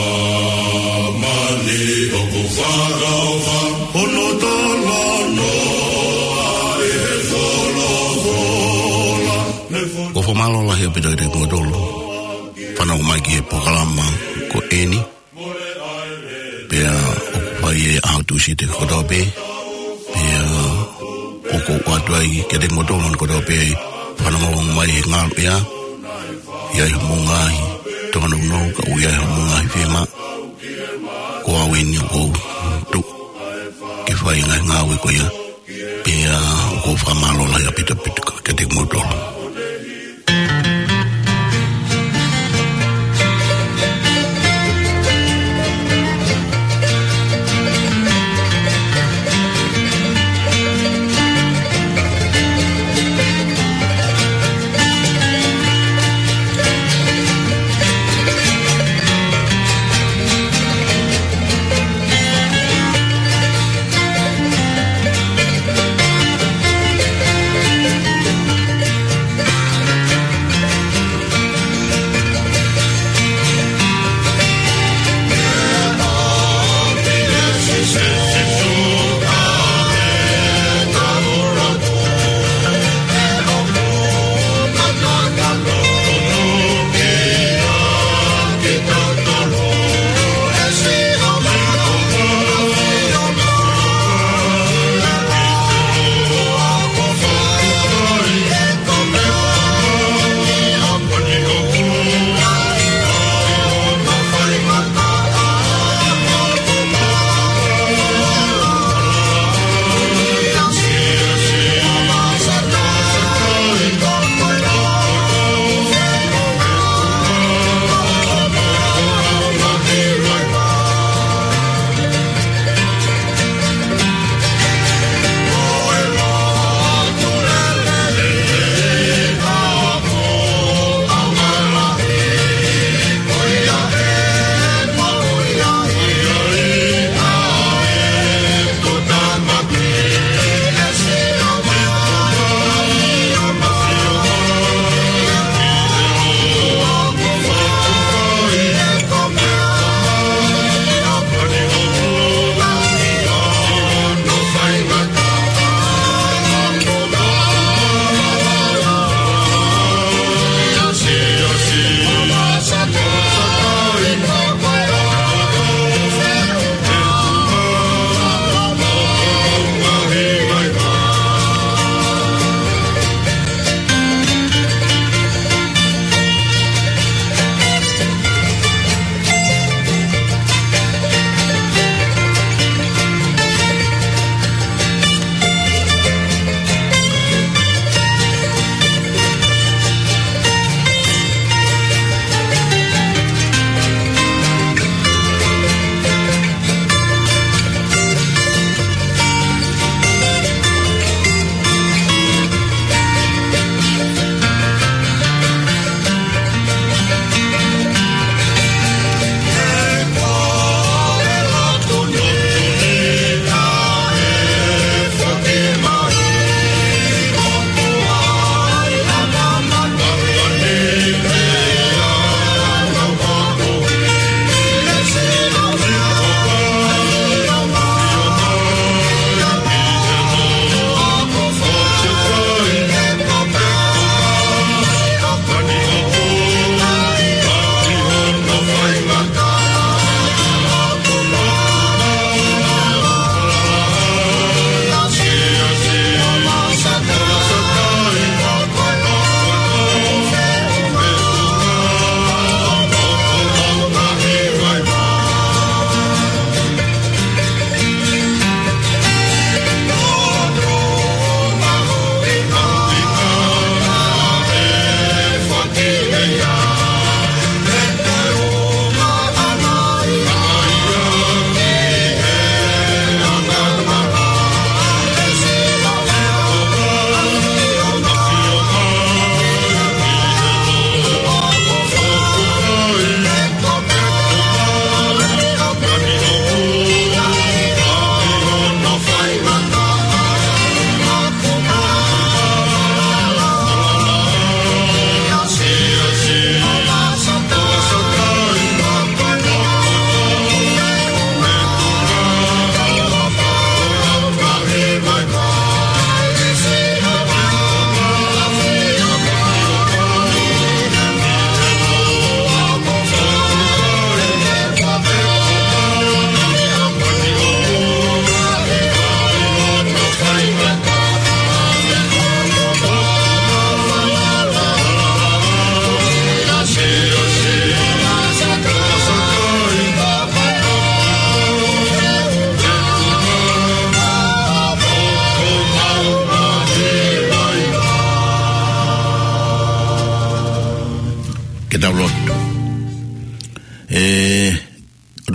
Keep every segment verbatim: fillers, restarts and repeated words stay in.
Māmani ʻoku fakaʻofa, hono talanoa ʻi he folofola. Ko e fakamālō lahi ʻaupito kiate kimoutolu fanongo mai ki he polokalama ko eni. Pea ʻoku fai ʻe he ʻaho Tūsite kotoa pē. Pea ʻoku ou ʻoatu ai kiate kimoutolu kotoa pē fanongo mai he ngaluʻea. ʻI ai hoʻomou ngaahi tōnounou, ka ʻoku ʻi ai hoʻomou ngaahi fiemaʻu. Ko au eni ʻoku ou tuʻu ke fai e ngaahi ngāue ko ia. Pea ʻoku ou fakamālō lahi ʻaupito ʻaupito kiate kimoutolu.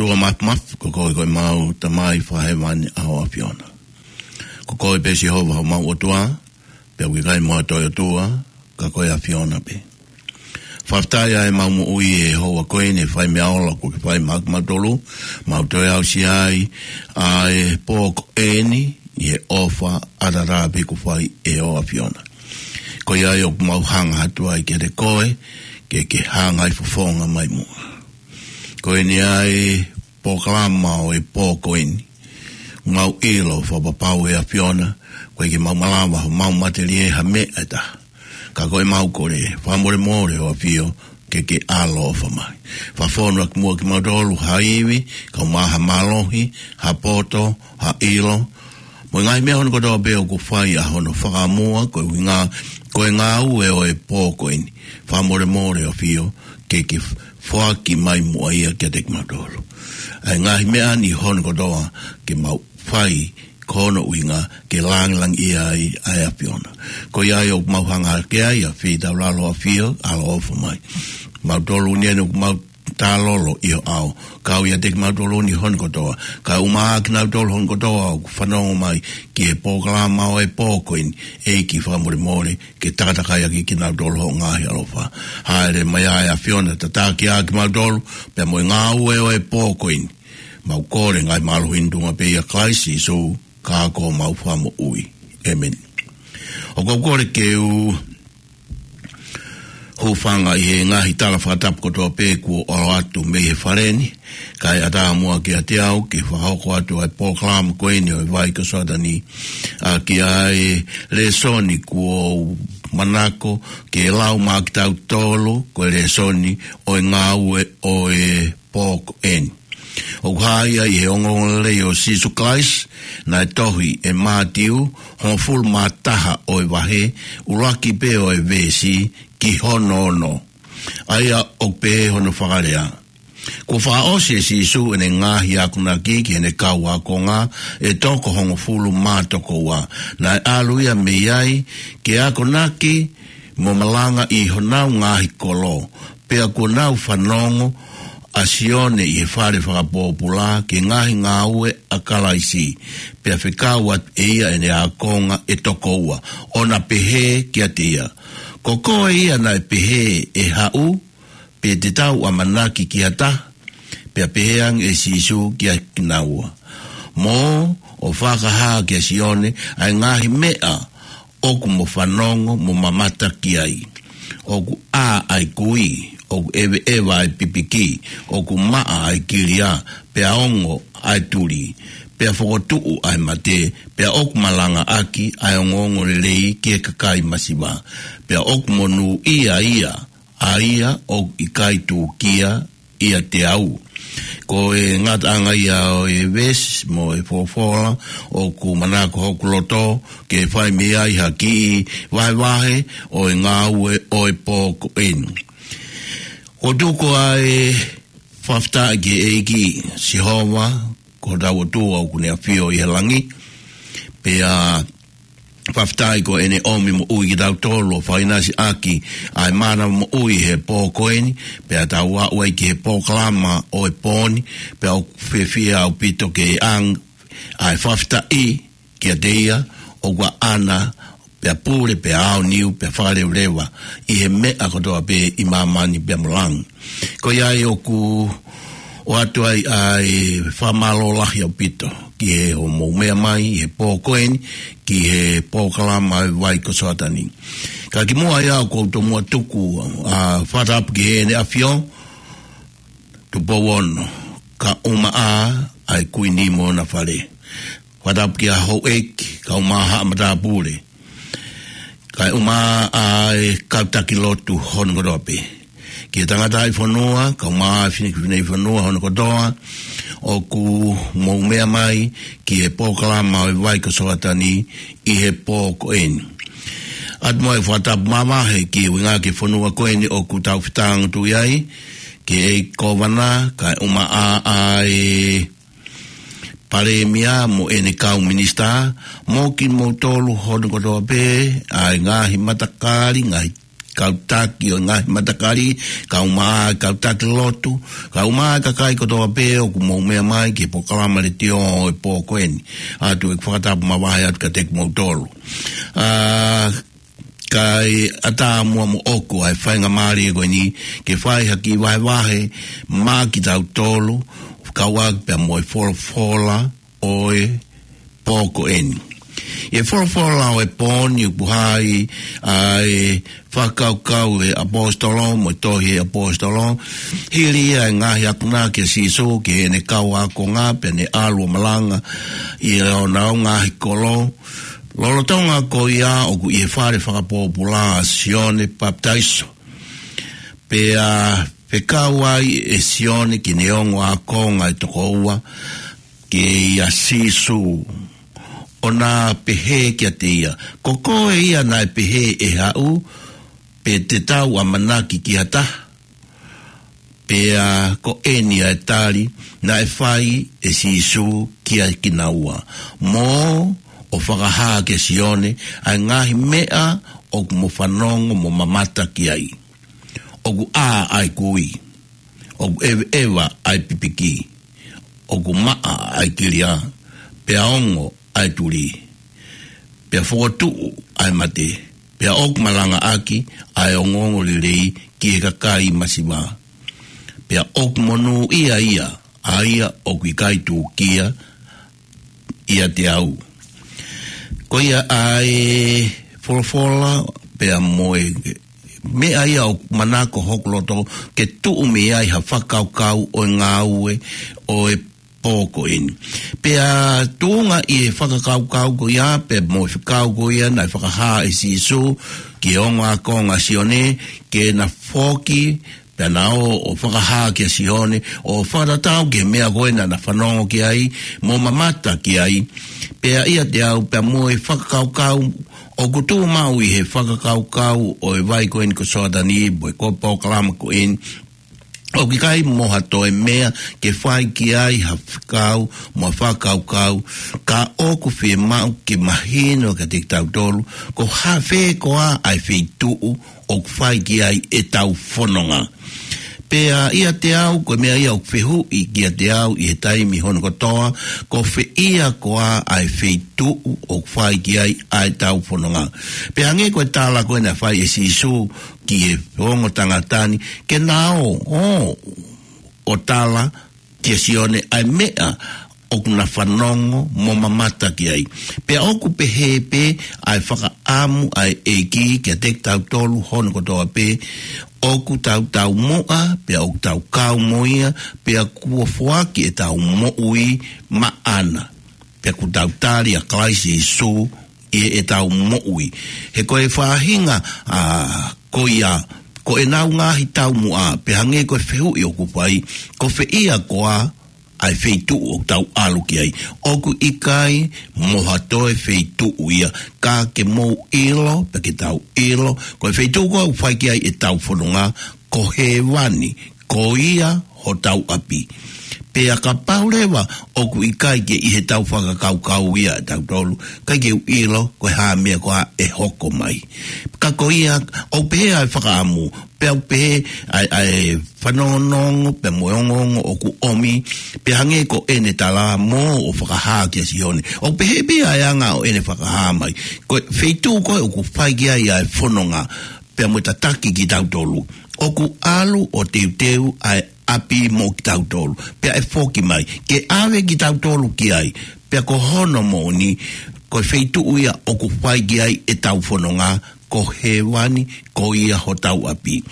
Ko Mafimafi, ko koe ko ʻemau Tamai Fakahēvani ʻa ho ʻAfiona. Ko koe pē Sihova homau ʻOtua, pea ʻoku ʻikai mo ha toe ʻotua, ka ko e ʻAfiona pē. Fakafetaʻi ʻa ʻemau moʻui ʻi he houa ko eni, ʻa e fai meʻa ola kuo ke fai maʻa kimautolu, mau toe aʻusia ai ʻa e pō ko eni, ʻi he ʻofa ʻataʻatā pē kuo fai ʻe ho ʻAfiona. Ko ia ai ʻoku mau hanga atu ai kiate koe, ke ke hanga ʻo fofonga mai muʻa. Ko eni ʻa e polokalama ʻo e pō ko eni. Mau ʻilo fakapapau ʻe ʻAfiona, ʻoku ʻikai ke mau malava ʻo mau matelie ha meʻa ʻe taha. Ka ko ʻemau kole, fakamolemole ho ʻAfio, ke ke ʻaloʻofa mai. Fakafonu ʻaki muʻa kimautolu ha ivi, kae ʻumaʻā ha mālohi, ha poto, ha ʻilo, mo e ngaahi meʻa hono kotoa pē ʻoku fai ʻa hono fakamua, ko e ʻuhinga, ko e ngāue ʻo e pō ko eni. Fakamolemole ʻAfio, ke ke foaki mai muʻa ia kiate kimautolu. ʻA e ngaahi meʻa ni hono kotoa ke mau fai ko hono ʻuhinga ke langilangiʻia ai ʻa e ʻAfiona. Ko ia ai ʻoku mau hanga hake ai ʻa e feitaulalo ʻAfio, ʻaloʻofa mai. Mautolu ni ʻoku mau talolo ʻi ho ʻao. Kau ʻiate kimautolu ni hono kotoa. Kae ʻumaʻā kinautolu hono kotoa ʻoku fanongo mai ki he polokalama ʻo e pō ko eni. ʻEiki fakamolemole ke takatakai ʻaki kinautolu ho ngaahi ʻaloʻofa. Hāʻele mai ʻa e ʻAfiona tataki ʻa kimautolu, pea mo e ngāue ʻo e pō ko eni. Mau kole ngaahi mālohi ni ʻi he tuʻunga pē ʻia Kalaisi Sīsū, ka ko homau Fakamoʻui. ʻĒmeni. ʻOku ou kole ke u hūfanga ʻi he ngaahi tala fakatapu kotoa pē kuo ʻalu atu mei he fale ni, kae ʻatā muʻa kiate au ke fakahoko atu ʻa e polokalama ko eni ʻo e Vai ko Soatani, ʻaki ʻa e lēsoni kuo u manako ke lau maʻa kitautolu, ko e lēsoni ʻo e ngāue ʻo e pō ko eni. ʻOku hā ia ʻi he ongoongolelei ʻo Sīsū Kalaisi, naʻe tohi ʻe Mātiu, hongofulu mā taha ʻo e vahe, ʻuluaki pē ʻo e veesi, ki hono ono. ʻA ia ʻoku pehē hono fakalea. Kuo fakaʻosi ʻe Sīsū ʻene ngaahi akonaki ki heʻene kau ākonga ʻe toko hongofulu mā toko ua. Naʻe ʻalu ia mei ai ke akonaki mo malanga ʻi honau ngaahi kolo. Pea kuo nau fanongo ʻa Sione ʻi he fale fakapōpula ki he ngaahi ngāue ʻa Kalaisi. Pea fekau atu ʻe ia ʻene ākonga ʻe toko ua, ʻo na pehē kiate ia, ko koe ia naʻe pehē ʻe haʻu, pe te tau ʻamanaki ki ha taha? Pea pehē ange ʻe Sīsū kiate kinaua, mō ʻo fakahā kia Sione ʻa e ngaahi meʻa ʻoku mo fanongo mo mamata ki ai. ʻOku ʻā ʻa e kui, ʻoku ʻeveʻeva ʻa e pipiki, ʻoku maʻa ʻa e kilia, pea ongo ʻa e tuli, pea fokotuʻu ʻa e mate, pea ʻoku malangaʻaki ʻa e ongoongolelei ki he kakai masiva, pea ʻoku monūʻia ia ʻa ia ʻoku ʻikai tūkia ʻiate au. Ko e ngataʻanga ia ʻo e veesi mo e folofola ʻoku manako hoku loto ke fai mei ai ha kiʻi vahevahe ʻo e ngāue ʻo e pō ko eni. ʻOku tuku ʻa e fakafetaʻi ki he ʻEiki Sihova, ko hotau ʻOtua ʻoku ne ʻafio ʻi he langi. Pea fakafetaʻi ko ʻene ʻomi moʻui kitautolu ʻo fakaʻinasi ʻaki ʻa e mānava moʻui he pō ko eni, pea tau aʻu ai ki he polokalama ʻo e pō ni, pea ʻoku fiefia ʻaupito ke ʻange ʻa e fakafetaʻi kiate ia, ʻoku ʻaʻana, pea pule, pea aoniu, pea fakalevaleva ʻi he meʻa kotoa pē ʻi māmani pea mo langi. Ko ia ai ʻoku ʻoatu ai ʻa e fakamālō lahi ʻaupito ki he hoʻomou meʻa mai ʻi he pō ko eni ki he polokalama ʻo e Vai ko Soatani. Ka kimuʻa ia ʻoku ou tomuʻa tuku ʻa e fakatapu ki heʻene ʻAfio, Tupou Ono, kae ʻumaʻā ʻa e Kuini mo hona fale. Fakatapu ki he houʻeiki, kae ʻumaʻā haʻa matāpule, kae ʻumaʻā ʻa e kau taki lotu hono kotoa pē. Ki he tangataʻi fonua, kae ʻumaʻā e fineʻeiki fonua hono kotoa, ʻoku mou meʻa mai ki he polokalama ʻo e Vai ko Soatani ʻi he pō ko eni. ʻOatu mo e fakatapu mavahe ki he ʻuhinga ki he fonua ko eni ʻoku tau fetāngotuʻi ai, ki he ʻEiki Kōvana, kae ʻumaʻā ʻa e Palēmia mo ʻene kau minisitā, mo kimoutolu hono kotoa pē, ʻa e ngaahi matakali, ngaahi kau taki ʻo e ngaahi matakali, kae ʻumaʻā e kau taki lotu, kae ʻumaʻā e kakai kotoa pē ʻoku mou meʻa mai ki he polokalama letiō ʻo e pō ko eni. ʻOatu ʻeku fakatapu mavahe atu kiate kimoutolu. ʻA, kae ʻatā muʻa moʻoku ʻa e faingamālie ko eni ke fai ha kiʻi vahevahe maʻa kitautolu, kau ai pea mo e folofola ʻo e pō ko eni. ʻI he folofola ʻo e pō ni ʻoku hā ai ʻa e fakakaukau ʻa e ʻaposetolo mo e tohi ʻa e ʻaposetolo, hili ia e ngaahi akonaki ʻa Sīsū ki heʻene kau ākonga pea ne ʻalu ʻo malanga ʻi honau ngaahi kolo. Lolotonga ko ia ʻoku ʻi he fale fakapōpula ʻa Sione Papitaiso. Pea fekau ai ʻe Sione ki heʻene ongo ākonga ʻe toko ua, kia Sīsū, ʻo na pehē kiate ia, ko koe ia naʻe pehē ʻe haʻu, pe te tau ʻamanaki ki ha taha? Pea ko eni ʻa e tali naʻe fai ʻe Sīsū kia kinaua, mo ʻo fakahā kia Sione ʻa e ngaahi meʻa ʻoku mo fanongo mo mamata ki ai. ʻOku ʻā ʻa e kui, ʻoku ʻeveʻeva ʻa e pipiki, ʻoku maʻa ʻa e kilia, pea ongo ʻa e tuli, pea fokotuʻu ʻa e mate, pea ʻoku malangaʻaki ʻa e ongoongolelei ki he kakai masiva. Pea ʻoku monūʻia ia ʻa ia ʻoku ʻikai tūkia ʻiate au. Ko ia ʻa e folofola pea mo e meʻa ia ʻoku manako hoku loto ke tuʻu mei ai ha fakakaukau ʻo e ngāue ʻo e pō ko eni. Pea tuʻunga ʻi he fakakaukau ko ia, pea mo e fekau ko ia naʻe fakahā ʻe Sīsū ki he ongo ākonga ʻa Sione, ke na foki, pea na ō ʻo fakahā kia Sione, ʻo fakatatau ki he meʻa ko ē naʻa na fanongo ki ai, mo mamata ki ai. Pea ʻiate au, pea mo e fakakaukau ʻoku tuʻu maʻu ʻi he fakakaukau ʻo e vai ko eni ko Soatani, mo e ko e polokalama ko eni, ʻoku ʻikai mo ha toe meʻa ke fai ki ai ha fekau mo ha fakakaukau, ka ʻoku fiemaʻu ke mahino kiate kitautolu ko e hā, fē koā ʻa e feituʻu ʻoku fai ki ai ʻetau fononga. Pea ʻiate au, ko e meʻa ia ʻoku fehuʻi kiate au ʻi he taimi hono kotoa, ko fē ia koā ʻa e feituʻu ʻoku fai ki ai ʻa ʻetau fononga. Pea hangē ko e tala ko ē naʻe fai ʻe Sīsū ki he ongo tangata ni, ke na ō, ō, ʻo tala kia Sione ʻa e meʻa ʻoku na fanongo mo mamata ki ai. Pea ʻoku pehē pē ʻa e fakaʻamu ʻa e ʻEiki kiate kitautolu hono kotoa pē, ʻoku tau taumuʻa, pea ʻoku tau kau mo ia, pea kuo foaki ʻetau moʻui maʻana. Pea kuo tau tali ʻa Kalaisi Sīsū ʻi heʻetau moʻui. He ko e faʻahinga, ʻa, ko ia, ko ʻenau ngaahi taumuʻa, pea hangē ko e fehuʻi ʻoku fai, ko fē ia koā ʻa e feituʻu ʻoku tau ʻalu ki ai. ʻOku ʻikai mo ha toe feituʻu ia, ka ke mou ʻilo, pea ke tau ʻilo, ko e feituʻu ko ē ʻoku fai ki ai ʻetau fononga, ko hēvani, ko ia hotau ʻapi. Pea kapau leva ʻoku ʻikai ke ʻi heʻetau fakakaukau ia ʻatautolu, ʻikai ke u ʻilo ko e hā e meʻa koā ʻe hoko mai. Ka ko ia, ʻoku pehē ʻa e fakaʻamu, pea ʻoku pehē ʻa e, ʻa e fanongonongo, pea mo e ongoongo ʻoku ʻomi, pea hangē ko ʻene tala mo ʻo fakahā kia Sione. ʻOku pehē pē ʻa e anga ʻo ʻene fakahā mai. Ko e feituʻu ko ē ʻoku fai ki ai ʻa e fononga, pea mo e tataki kitautolu. ʻOku ʻalu ʻo teuteu ʻa e ʻapi mo kitautolu. Pea ʻe foki mai ke ʻave kitautolu ki ai. Pea ko hono moʻoni, ko e feituʻu ia ʻoku fai ki ai ʻetau fononga, ko hēvani, ko ia hotau ʻapi.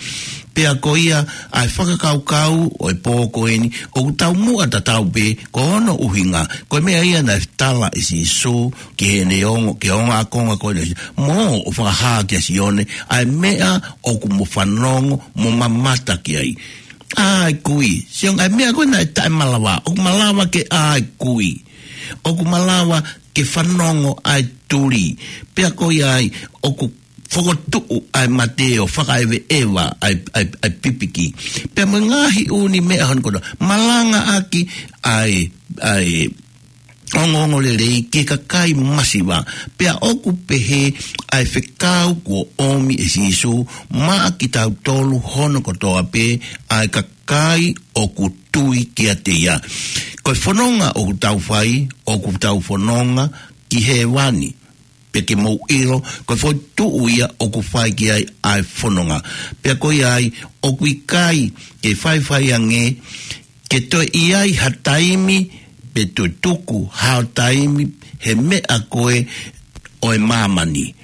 Pea ko ia ʻa e fakakaukau ʻo e pō ko eni, ʻoku taumuʻa tatau pē, ko hono ʻuhinga, ko e meʻa ia naʻe tala ʻe Sīsū ki heʻene ongo, ki he ongo ākonga ko eni, mo ʻo fakahā kia Sione ʻa e meʻa ʻoku mo fanongo mo mamata ki ai. ʻA e kui, Sione, ʻa e meʻa ko ē naʻe taʻemalava, ʻoku malava ke ʻā e kui, ʻoku malava ke fanongo ʻa e tuli, pea ko ia ai ʻoku fokotuʻu ʻa e mate ʻo fakaʻeveʻeva ʻa e, ʻa e, ʻa e pipiki. Pea mo e ngaahi ʻū meʻa hono kotoa, malangaʻaki ʻa e, ʻa e, ongoongolelei ki he kakai masiva. Pea ʻoku pehē ʻa e fekau kuo ʻomi ʻe Sīsū maʻa kitautolu hono kotoa pē, ʻa e kakai ʻoku tui kiate ia. Ko e fononga ʻoku tau fai, ʻoku tau fononga ki hēvani. Pea ke mou ʻilo, ko e foʻi tuʻu ia ʻoku fai ki ai ʻa e fononga. Pea ko ia ai, ʻoku ʻikai ke faifai ange ke toe ʻi ai ha taimi, pe toe tuku hao taimi he meʻa ko ē ʻo e māmani.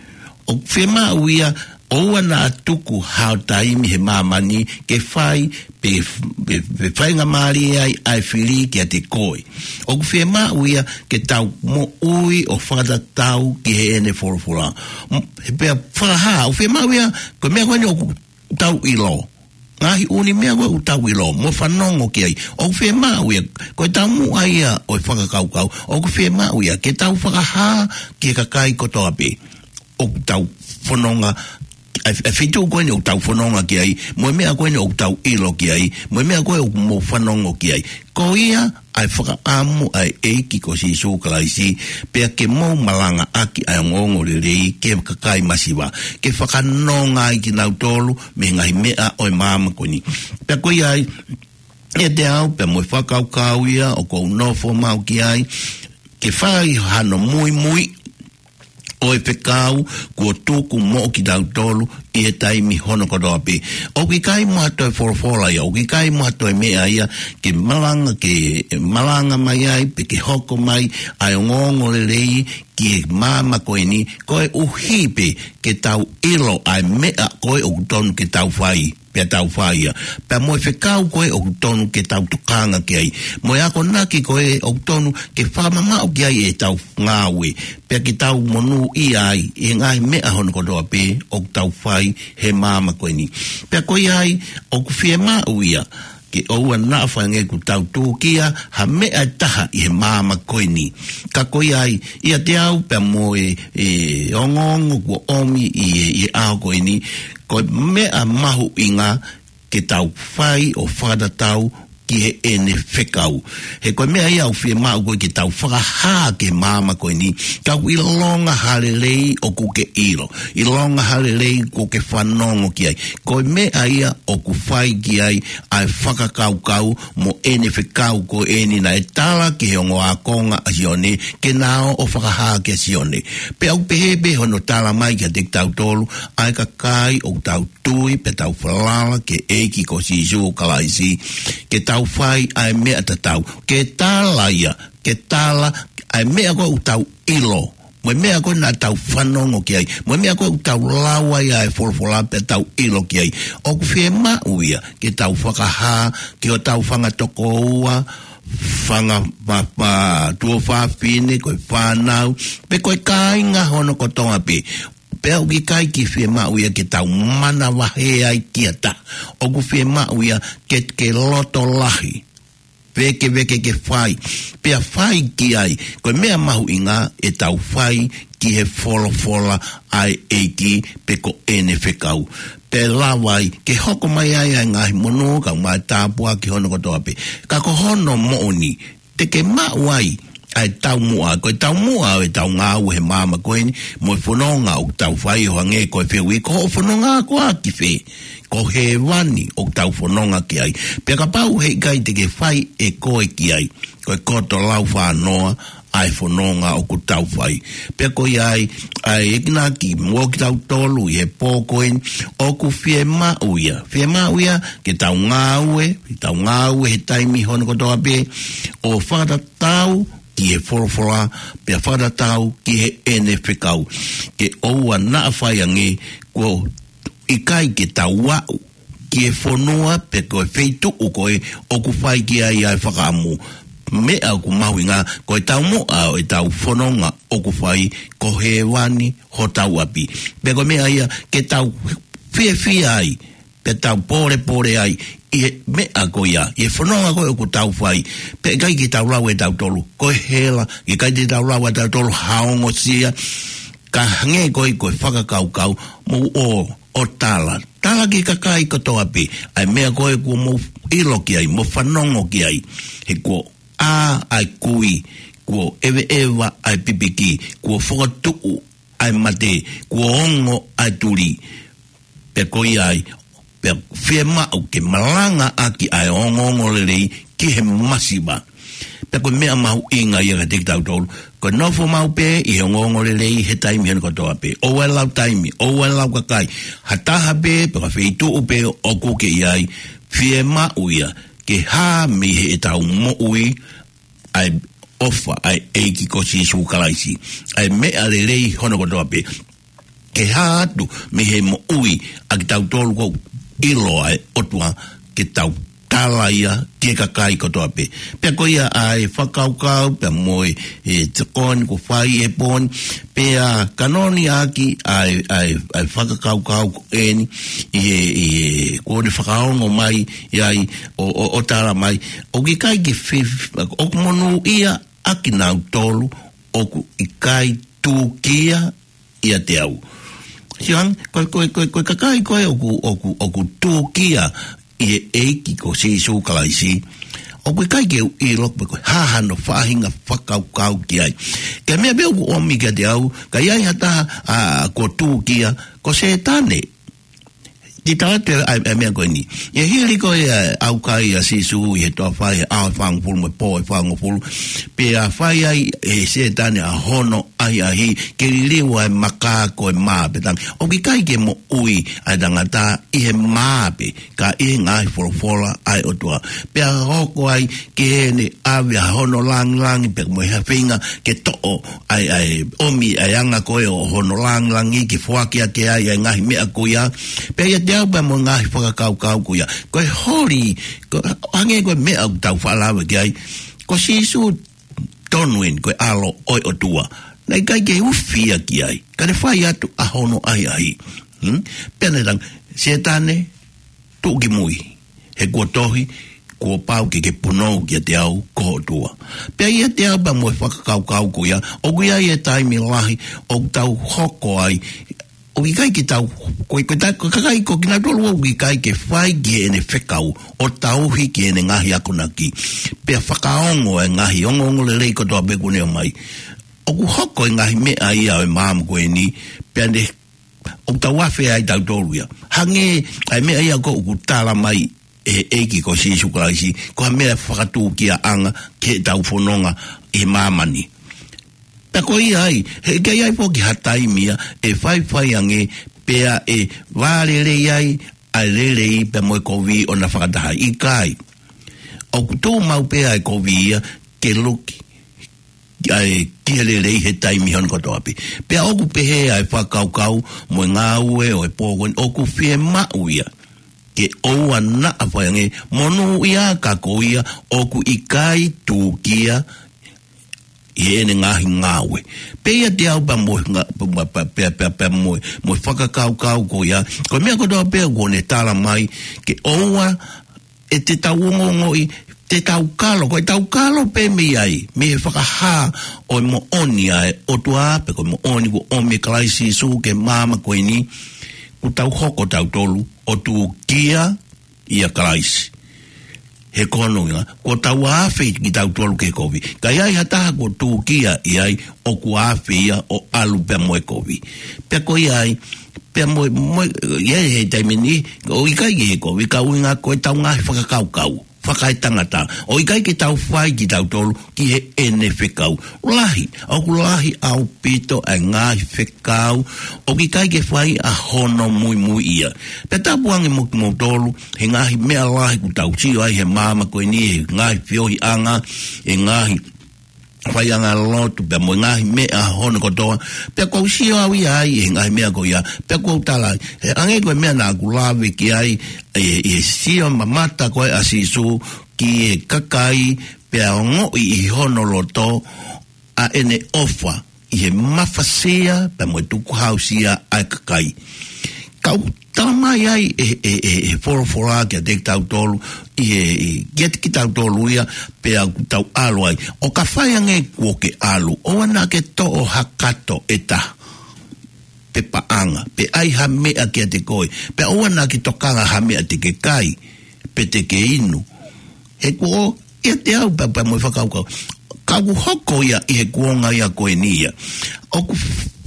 ʻOku fiemaʻu ia, ʻoua naʻa tuku hao taimi he māmani ke fai, pe, pe, pe faingamālie ai ʻa e fili kiate koe. ʻOku fiemaʻu ia ke tau moʻui ʻo fakatatau ki heʻene folofola. M-, pea fakahā, ʻoku fiemaʻu ia, ko e meʻa ko eni ʻoku tau ʻilo. Ngaahi ʻū meʻa ko ē ʻoku tau ʻilo, mo fanongo ki ai. ʻOku fiemaʻu ia, ko e taumuʻa ia ʻo e fakakaukau. ʻOku fiemaʻu ia, ke tau fakahā ki he kakai kotoa pē ʻoku tau fononga, ʻa e, ʻa e feituʻu ko eni ʻoku tau fononga ki ai, mo e meʻa ko eni ʻoku tau ʻilo ki ai, mo e meʻa ko ē ʻoku mou fanongo ki ai. Ko ia ʻa e fakaʻamu ʻa e ʻEiki ko Sīsū Kalaisi, pea ke mou malangaʻaki ʻa e ongoongolelei ki he kakai masiva, ke fakanonga ai kinautolu mei he ngaahi meʻa ʻo e māmani ko eni. Pea ko ia ai, ʻiate au, pea mo e fakakaukau ia ʻoku ou nofo maʻu ki ai, ke fai hano muimui ʻo e fekau kuo tuku moʻo kitautolu ʻi he taimi hono kotoa pē. ʻOku ʻikai mo ha toe folofola ia, ʻoku ʻikai mo ha toe meʻa ia, ke malanga, ke malanga mai ai, pe ke hoko mai ʻa e ongoongolelei ki he māmani ko eni, koeʻuhi pē ke tau ʻilo ʻa e meʻa ko ē ʻoku tonu ke tau fai, pea tau fai ia. Pea mo e fekau ko ē ʻoku tonu ke tau tokanga ki ai. Mo e akonaki ko ē ʻoku tonu ke fakamamaʻu ki ai ʻetau ngāue. Pea ke tau monūʻia ai ʻi he ngaahi meʻa hono kotoa pē ʻoku tau fai he māmani ko eni. Pea ko ia ai, ʻoku fiemaʻu ia, ke ʻoua naʻa fai ange kuo tau tūkia ha meʻa ʻe taha ʻi he māmani ko eni. Ka ko ia ai, ʻiate au pea mo e, e ongoongo kuo ʻomi ʻi he, ʻi he ʻaho ko eni, ko e meʻa mahuʻinga ke tau fai ʻo fakatatau ki heʻene fekau. He ko e meʻa ia ʻoku fiemaʻu ko ē ke tau fakahā ki he māmani ko eni, tau ʻilonga ha lelei ʻoku ke ʻilo, ʻilonga ha lelei ʻoku ke fanongo ki ai. Ko e meʻa ia ʻoku fai ki ai ʻa e fakakaukau mo ʻene fekau ko eni naʻe tala ki he ongo ākonga ʻa Sione, ke na ō ʻo fakahā kia Sione. Pea ʻoku pehē pē hono tala mai kiate kitautolu, ʻa e kakai ʻoku tau tui pea tau falala ki he ʻEiki ko Sīsū Kalaisi, ke tau fai ʻa e meʻa tatau. Ke tala ia, ke tala ʻa e meʻa ko ē ʻoku tau ʻilo, mo e meʻa ko ē naʻa tau fanongo ki ai, mo e meʻa ko ē ʻoku tau lau ai ʻa e folofola pea tau ʻilo ki ai. ʻOku fiemaʻu ia ke tau fakahā ki hotau fanga tokoua, fanga pa-, pa-, tuofāfine, ko e fānau, pe ko e kāinga hono kotoa pē. Pea ʻoku ʻikai ke fiemaʻu ia ke tau manavahē ai ki ha taha. ʻOku fiemaʻu ia ke, ke loto lahi, vēkeveke ke fai, pea fai ki ai. Ko e meʻa mahuʻinga ʻetau fai ki he folofola ʻa e ʻEiki pe ko ʻene fekau. Pea lava ai ke hoko mai ai ʻa e ngaahi monū, kau mai tāpuaki hono kotoa pē. Ka ko hono moʻoni, te ke maʻu ai ʻa e taumuʻa, ko e taumuʻa ʻo ʻetau ngāue he māmani ko eni, mo e fononga ʻoku tau fai, ʻo hangē ko e fehuʻi, ko hoʻo fononga koā ki fē? Ko hēvani ʻoku tau fononga ki ai. Pea kapau heʻikai te ke fai ʻe koe ki ai, ko e koto laufānoa ʻa e fononga ʻoku tau fai. Pea ko ia ai, ʻa e enginaki mo kitautolu ʻi he pō ko eni, ʻoku fiemaʻu ia. Fiemaʻu ia ke tau ngāue, ke tau ngāue he taimi hono kotoa pē, ʻo fakatatau ki he folofola, pea fakatatau ki heʻene fekau. Ke ʻoua naʻa fai ange kuo ʻikai ke tau aʻu ki he fonua pe ko e feituʻu ko ē ʻoku fai ki ai ʻa e fakaʻamu. Meʻa ʻoku mahuʻinga, ko e taumuʻa ʻo ʻetau fononga ʻoku fai, ko hēvani hotau ʻapi. Pea ko e meʻa ia ke tau fiefia ai, pea tau pōlepole ai ʻi he meʻa ko ia, ʻi he fononga ko ē ʻoku tau fai. Pea ʻikai ke tau lau ʻe tautolu ko e hela, ʻikai ke tau lau ʻe tautolu ha ongosia, ka hangē ko ē ko e fakakaukau, mou ō ʻo tala. Tala ki he kakai kotoa pē ʻa e meʻa ko ē kuo mou ʻilo ki ai, mo fanongo ki ai. He kuo ʻā ʻa e kui, Kuo ʻeveʻeva ʻa e pipiki, kuo fokotuʻu ʻa e mate, kuo ongo ʻa e tuli. Pea ko ia ai, pea fiemaʻu ke malangaʻaki ʻa e ongoongolelei ki he masiva. Pea ko e meʻa mahuʻinga ia kiate kitautolu, ko e nofo maʻu pē ʻi he ongoongolelei he taimi hono kotoa pē. ʻOua ʻe lau taimi, ʻoua ʻe lau kakai. Ha taha pē, pe ko ha feituʻu pē ʻoku ke ʻi ai, fiemaʻu ia ke hā mei heʻetau moʻui ʻa e ʻofa ʻa e ʻEiki ko Sīsū Kalaisi, ʻa e meʻa lelei hono kotoa pē, ke hā atu mei he moʻui ʻa kitautolu ʻoku ʻilo ʻa e ʻOtua ke tau tala ia ki he kakai kotoa pē. Pea ko ia ʻa e fakakaukau, pea mo e, e tokoni kuo fai he pō ni, pea kanoni ʻaki ʻa e, ʻa e, ʻa e fakakaukau ko eni, ʻi he, ʻi he, kuo ne fakaongo mai, ʻi ai, ʻo, ʻo, ʻo tala mai, ʻoku ʻikai ke fif-, ʻoku monūʻia ʻa kinautolu ʻoku ʻikai tūkia ʻiate au. Siang, ko, ko, ko, ko e kakai ko ē ʻoku, ʻoku, ʻoku tūkia ʻi he ʻEiki ko Sīsū Kalaisi, ʻoku ʻikai ke u ʻilo pe ko e hā hano faʻahinga fakakaukau ki ai. Ko e meʻa pē ʻoku ʻomi kiate au, ka ʻi ai ha taha, ʻa, kuo tūkia, ko Sētane. Te u tala atu ʻa e, ʻa e meʻa ko eni. ʻI he hili ko ē ʻa e ʻaukai ʻa Sīsū ʻi he toafa ʻi he ʻaho ʻe fāngofulu mo e pō ʻe fāngofulu. Pea fai ai ʻe Sētane ʻa hono ʻahiʻahi ke liliu ʻa e maka ko e mā pē, talaange ʻoku ʻikai ke moʻui ʻa e tangata ʻi he mā pē, ka ʻi he ngaahi folofola ʻa e ʻOtua. Pea hoko ai ke ne ʻave ʻa hono langilangi pea mo e hā feinga ke toʻo ʻa e, ʻa e ʻomi ʻa e anga ko ē ʻo hono langilangi ke foaki ʻaki ai ʻa e ngaahi meʻa ko ia. Pea ʻiate au pea mo e ngaahi fakakaukau ko ia, ko e holi, ko, hangē ko e meʻa ʻoku tau faʻa lave ki ai, ko Sīsū tonu eni ko e ʻAlo ʻo e ʻOtua. Naʻe ʻikai ke ufi ia ki ai, ka ne fai atu ʻa hono ʻahiʻahi. Hmm? Pea ne talaange, Sētane, tuʻu ki mui, he kuo tohi, kuo pau ke ke punou kiate au ko ho ʻOtua. Pea ʻiate au pea mo e fakakaukau ko ia, ʻoku ʻi ai e taimi lahi ʻoku tau hoko ai, ʻoku ʻikai ke tau, ko, ko, ta, ko e kakai ko kinautolu ʻoku ʻikai ke fai ki heʻene fekau, ʻo tauhi ki heʻene ngaahi akonaki. Pea fakaongo e ngaahi ongoongolelei kotoa pē kuo ne ʻomai. ʻOku hoko e ngaahi meʻa ia ʻo e maama ko eni, pea ne ʻoku tau afe ai tautolu ia. Hangē ʻa e meʻa ia ko ē ʻoku tala mai ʻe he ʻEiki ko Sīsū Kalaisi, ko ha meʻa fakatūkiaʻanga ki heʻetau fononga ʻi māmani. Pea ko ia ai, he ʻikai ai foki ha taimi ia ʻe faifai ange, pea ʻe vālelei ai ʻa e lelei pea mo e kovi ʻo na fakataha, ʻikai. ʻOku tuʻu maʻu pē ʻa e kovi ia ke luki ʻa e ki he lelei he taimi hono kotoa pē. Pea ʻoku pehē ʻa e fakakaukau mo e ngāue ʻo e pō ko eni, ʻoku fiemaʻu ia ke ʻoua naʻa fai ange, monūʻia ka ko ia ʻoku ʻikai tūkia ʻi heʻene ngaahi ngāue. Pea ʻiate au pea mo e nga-, pea, pea, pea, pea, pea mo e, mo e fakakaukau ko ia, ko e meʻa kotoa pē kuo ne tala mai ke ʻoua ʻe te tau ongoongoʻi, te tau kalo, ko e tau kalo pē mei ai, mei he fakahā ʻo e moʻoni ʻa e ʻOtua, pe ko e moʻoni kuo ʻomi ʻe Kalaisi Sīsū ki he maama ko eni, kuo tau hoko tautolu ʻo tūkia ʻia Kalaisi. He ko hono ʻuhinga, kuo tau afe kitautolu ki he kovi. Ka ʻi ai ha taha kuo tūkia ʻi ai, ʻoku afe ia ʻo ʻalu pea mo e kovi. Pea ko ia ai, pea mo, mo, ʻi ai he taimi ni, ʻoku ʻikai ke he kovi, ka ʻuhinga ko e tau ngaahi fakakaukau fakaetangata. ʻOku ʻikai ke tau fai kitautolu ki heʻene fekau. Lahi, ʻoku lahi ʻaupito ʻa e ngaahi fekau ʻoku ʻikai ke fai ʻa hono muimui ia. Pea tapu ange mo kimoutolu, he ngaahi meʻa lahi kuo tau sio ai he maama ko eni, he ngaahi feohiʻanga, he ngaahi faiʻanga lotu, pea mo e ngaahi meʻa hono kotoa. Pea kuo u sio au ia ai he ngaahi meʻa ko ia, pea kuo u tala ai, he hangē ko e meʻa naʻa ku lave ki ai, ʻi he, ʻi he sio mamata ko ē ʻa Sīsū ki he kakai, pea ongoʻi ʻi hono loto ʻa ʻene ʻofa ʻi he mafasia pea mo e tukuhausia ʻa e kakai. Ka ʻoku tala mai ai ʻe, ʻe, ʻe, ʻe he folofola kiate kitautolu, ʻi he, ʻi, kiate kitautolu ia, pea ʻoku tau ʻalu ai. ʻO ka fai ange kuo ke ʻalu, ʻoua naʻa ke toʻo ha kato ʻe taha, pe paʻanga, pe ʻai ha meʻa kiate koe, pea ʻoua naʻa ke tokanga ha meʻa te ke kai, pe te ke inu. He kuo ʻiate au pea, pea mo e fakakaukau. Ka ʻOku hoko ia ʻi he kuonga ia ko eni ia. ʻOku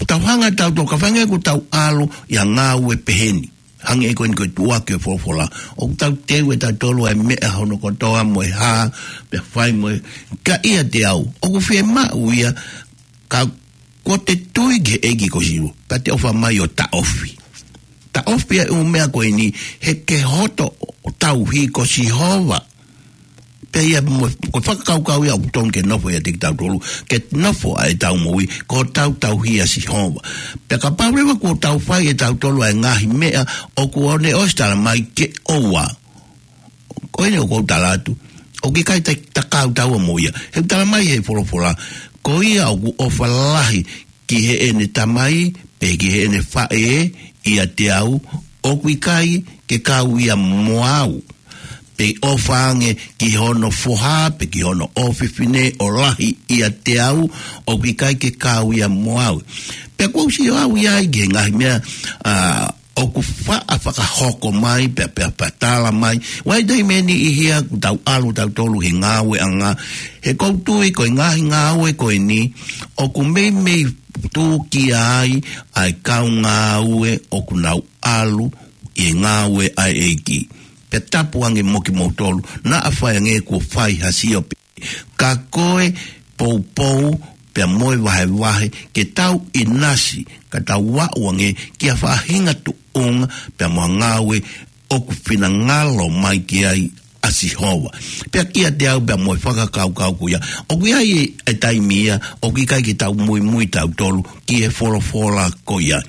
tau hanga tautolu, kapau ʻoku tau ʻalu ʻi ha ngāue pehē ni. Hangē ko eni ko e tuʻuaki e folofola. ʻOku tau teu ʻe tautolu ʻa e meʻa hono kotoa mo e hā, pea fai mo e, ka ʻiate au. ʻOku fiemaʻu ia ka ko te tui ki he ʻEiki ko Sīsū. Ka te ʻofa mai ʻo taʻofi. Taʻofi ʻa e ʻū meʻa ko eni, he ke hoto ʻo tauhi ko Sihova. Pea ia mo, ko e fakakaukau ia ʻoku tonu ke nofo ia ʻiate kitautolu, ke nofo ʻa e tau moʻui, ko tau tauhi ʻa Sihova. Pea kapau leva kuo tau fai ʻe tautolu ʻa e ngaahi meʻa, ʻoku ʻosi tala mai ke ʻoua. Ko eni ʻoku ou tala atu. ʻOku ʻikai te ta kau taua mo ia. He tala mai he folofola. Ko ia ʻoku ʻofa lahi ki heʻene tamai, pe ki heʻene faʻē, ʻiate au, ʻoku ʻikai ke kau ia mo au. Pe ʻofa ange ki hono foha, pe ki hono ʻofefine ʻo lahi ʻiate au, ʻoku ʻikai ke kau ia mo au. Pea kuo u sio au ia ai ki he ngaahi meʻa, ʻa, ʻoku faʻa fakahoko mai, pea, pea, pea tala mai. Vakai taimi ʻe niʻihi ia ʻoku tau ʻalu tautolu he ngāueʻanga. He ʻoku ou tui ko e ngaahi ngāue ko eni, ʻoku meimei tūkia ai, ʻa e kau ngāue ʻoku nau ʻalu ʻi he ngāue ʻa e ʻEiki. Pea tapu ange mo kimoutolu, naʻa faʻa ange kuo fai ha sio pē. Ka ko e poupou, pea mo e vahevahe, ke tau ʻinasi, ka tau aʻu ange ki ha faʻahinga tuʻunga, pea mo e ngāue ʻoku finangalo mai ki ai ʻa Sihova. Pea kiate au pea mo e fakakaukau ko ia. ʻOku ʻi ai e, e taimi ia, ʻoku ʻikai ke tau muimui tautolu, ki he folofola ko ia.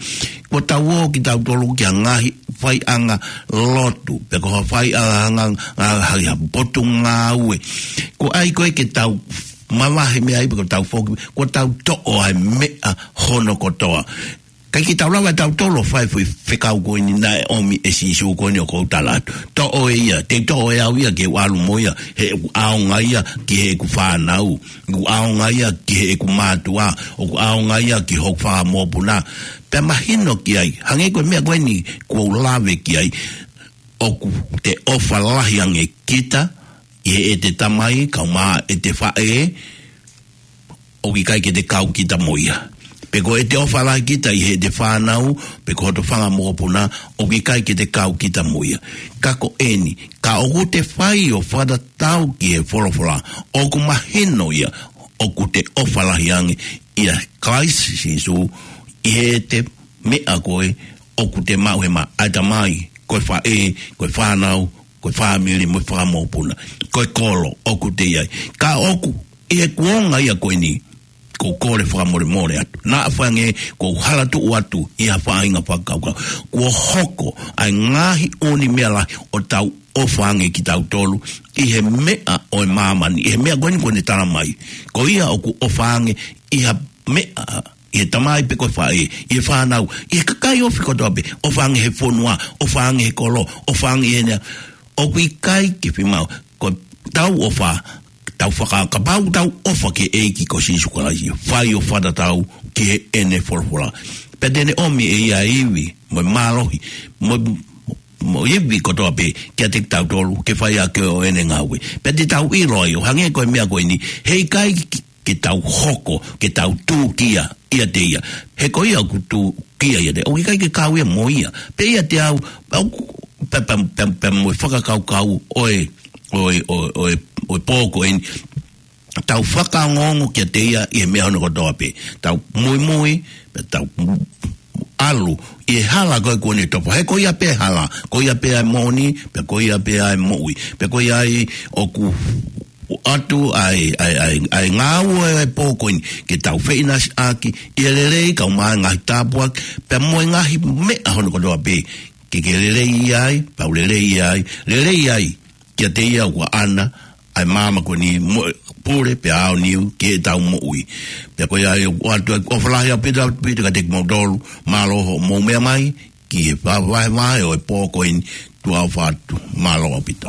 Kuo tau ō kitautolu ki ha ngaahi faiʻanga lotu, pe ko ha faiʻanga, ʻa, ʻa, ha, ha potu ngāue. Ko e ʻai ko ē ke tau mavahe meʻa ai pe ko tau foki, kuo tau toʻo ʻa e meʻa hono kotoa. ʻIkai ke tau lava tautolu ʻo fai foʻi fekau ko eni naʻe ʻomi ʻe Sīsū ko eni ʻoku ou tala atu. Toʻo ʻe ia, te u toʻo ʻe au ia ke u ʻalu mo ia, he ʻoku ʻaonga ia ki heʻeku fānau, ʻoku ʻaonga ia ki heʻeku mātuʻa, ʻoku ʻaonga ia ki hoku fanga mokopuna. Pea mahino ki ai, hangē ko e meʻa ko eni kuo u lave ki ai, ʻoku te ʻofa lahi ange kita, ʻi heʻete tamai, kae ʻumaʻā ʻete faʻē, ʻoku ʻikai ke te kau kita mo ia. Pe ko ʻete ʻofa lahi kita ʻi heʻete fānau, pe ko hoto fanga mokopuna, ʻoku ʻikai ke te kau kita mo ia. Ka ko eni, ka ʻoku te fai ʻo fakatatau ki he folofola, ʻoku mahino ia, ʻoku te ʻofa lahi ange ʻia Kalaisi Sīsū, ʻi heʻete meʻa ko ē, ʻoku te maʻu he maʻa ʻa e tamai, ko e faʻē, ko e fānau, ko e fāmili mo e fanga mokopuna. Ko e kolo, ʻoku te ʻi ai. Ka ʻoku, ʻi he kuonga ia ko eni, ʻoku ou kole fakamolemole atu. Naʻa faʻa ange, ʻoku ou hala tuʻu atu, ʻi ha faʻahinga fakakaukau. Kuo hoko, ʻa e ngaahi ʻū meʻa lahi, ʻo tau ʻofa ange kitautolu, ʻi he meʻa ʻo e māmani, ʻi he meʻa ko eni kuo ne tala mai. Ko ia ʻoku ʻofa ange, ʻi ha meʻa, ʻi he tamai pe ko e faʻē, ʻi he fānau, ʻi he kakai ofi kotoa pē, ʻofa ange he fonua, ʻofa ange he kolo, ʻofa ange he nea, ʻoku ʻikai ke fiemaʻu, ko tau ʻofa, tau faka-, kapau tau ʻofa ki he ʻEiki ko Sīsū Kalaisi, fai ʻo fakatatau ki heʻene folofola. Pea te ne ʻomi ʻe ia e ivi, mo e mālohi, mo, mo e ivi kotoa pē, kiate kitautolu, ke fai ʻaki ʻo ʻene ngāue. Pea te tau ʻilo ai, ʻo hangē ko e meʻa ko eni, heʻikai ke tau hoko, ke tau tūkia ʻiate ia. He ko ia ʻoku tūkia ʻiate ia. ʻOku ʻikai ke kau ia mo ia. Pea ʻiate au, au, pea, pea, pea, pea mo e fakakaukau ʻo e, ʻo e, ʻo e, ʻo e, ʻo e pō ko eni. Tau fakaongoongo kiate ia ʻi he meʻa hono kotoa pē. Tau muimui, pea tau ʻalu ʻi he hala ko ē kuo ne tofa. He ko ia pē hala, ko ia pē ʻa e moʻoni, pea ko ia pē ʻa e moʻui. Pea ko ia ai ʻoku ʻoatu ʻa e, ʻa e, ʻa e, ʻa e ngāue ʻa e pō ko eni, ke tau feʻinasiʻaki ʻi he lelei, kae ʻumaʻā e ngaahi tāpuaki, pea mo e ngaahi meʻa hono kotoa pē, ke ke lelei ai, pea u lelei ai, lelei ai, kiate ia ʻoku ʻaʻana ʻa e maama ko eni mo e pule pea aoniu ki heʻetau moʻui. Pea ko ia ai ʻoku ʻoatu ʻa e ʻofa lahi ʻaupito, ʻaupito kiate kimoutolu, mālō hoʻomou meʻa mai, ki he vahevahe ʻo e pō ko eni, tuʻa ʻofa atu, mālō ʻaupito.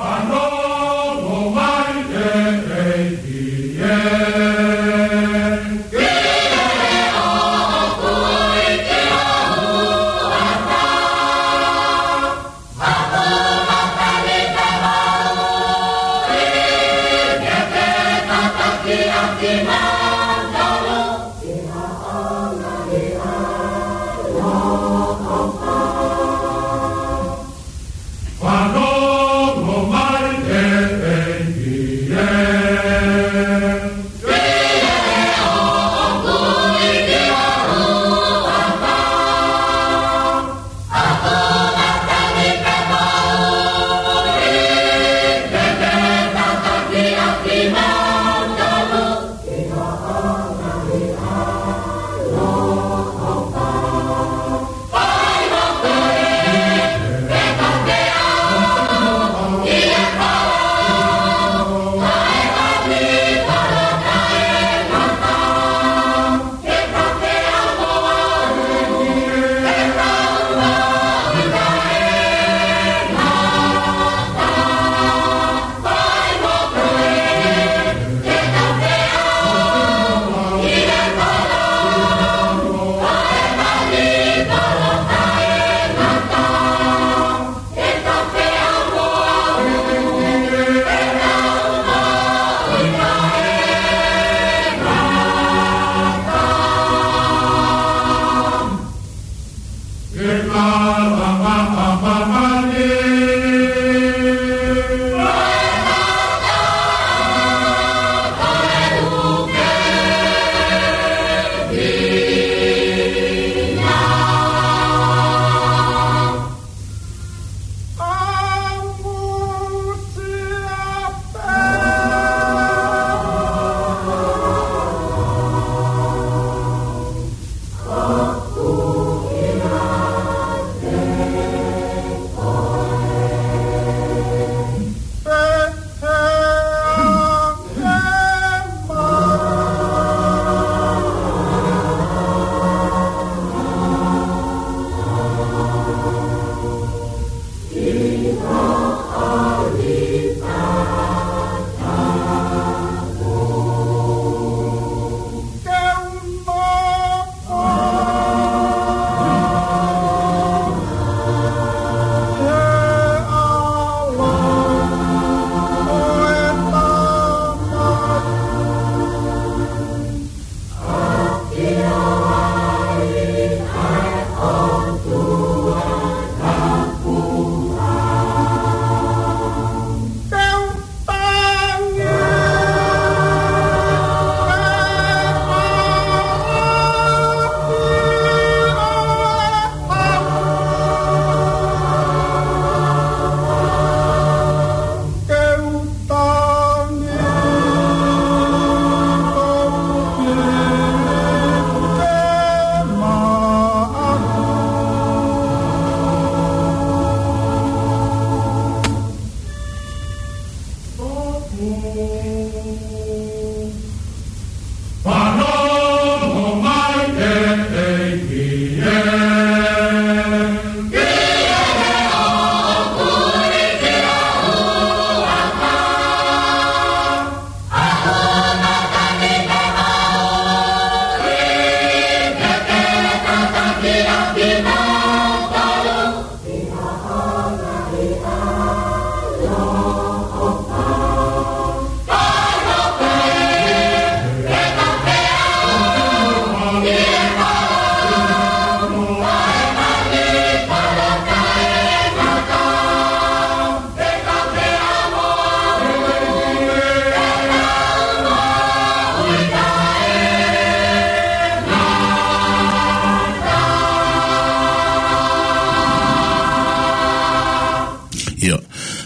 Ia.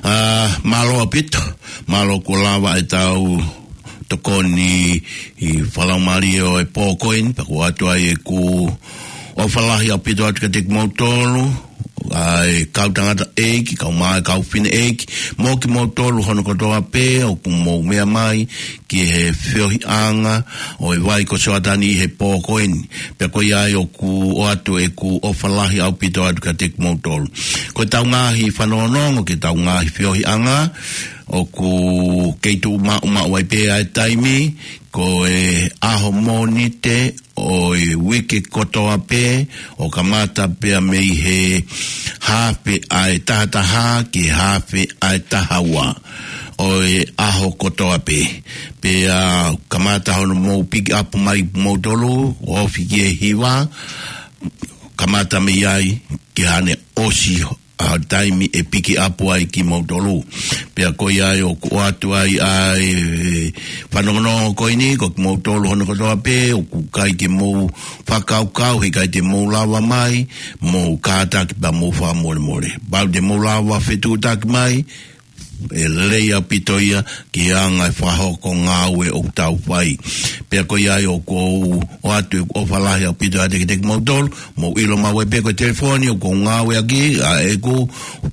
Ā, mālō ʻaupito, mālō kuo lava ʻetau tokoni ʻi he fakalaumālie ʻo e pō ko eni, pea ʻoku ʻoatu ai ʻeku ʻofa lahi ʻaupito atu kiate kimoutolu, ʻa e kau tangataʻeiki, kau mā, kau fineʻeiki, mo kimoutolu hono kotoa pē ʻoku mou meʻa mai ki he feohiʻanga ʻo e vai ko Sioatani ʻi he pō ko eni. Pea ko ia ai ʻoku ʻoatu ʻeku ʻofa lahi ʻaupito atu kiate kimoutolu. Ko ʻetau ngaahi fanongonongo ki heʻetau ngaahi feohiʻanga, ʻoku kei tuʻu maʻumaʻu ai pē ʻa e taimi, ko e ʻaho Mōnite ʻo e uike kotoa pē, ʻo kamata pea mei he haafe ʻa e taha taha ki he haafe ʻa e taha ua ʻo e ʻaho kotoa pē. Pea kamata hono mou piki ʻapu mai moutolu, ʻo ofi ki he hiva, kamata mei ai ki haʻane ʻosi ʻa e taimi ʻe piki ʻapu ai kimoutolu. Pea ko ia ai ʻoku ʻoatu ai ʻa e fanongonongo ko eni, ko kimoutolu hono kotoa pē, ʻoku ʻikai ke mou fakakaukau, heʻikai te mou lava mai, mou kātaki pea mou fakamolemole. Pau te mou lava fetuʻutaki mai, ʻe lelei ʻaupito ia ki he anga e fakahoko ngāue ʻoku tau fai. Pea ko ia ai ʻoku ou ʻoatu ʻeku ʻofa lahi ʻaupito ʻiate kimoutolu, mou ʻilo maʻu ai pē ko e telefoni ʻoku ou ngāueʻaki, ʻa ʻeku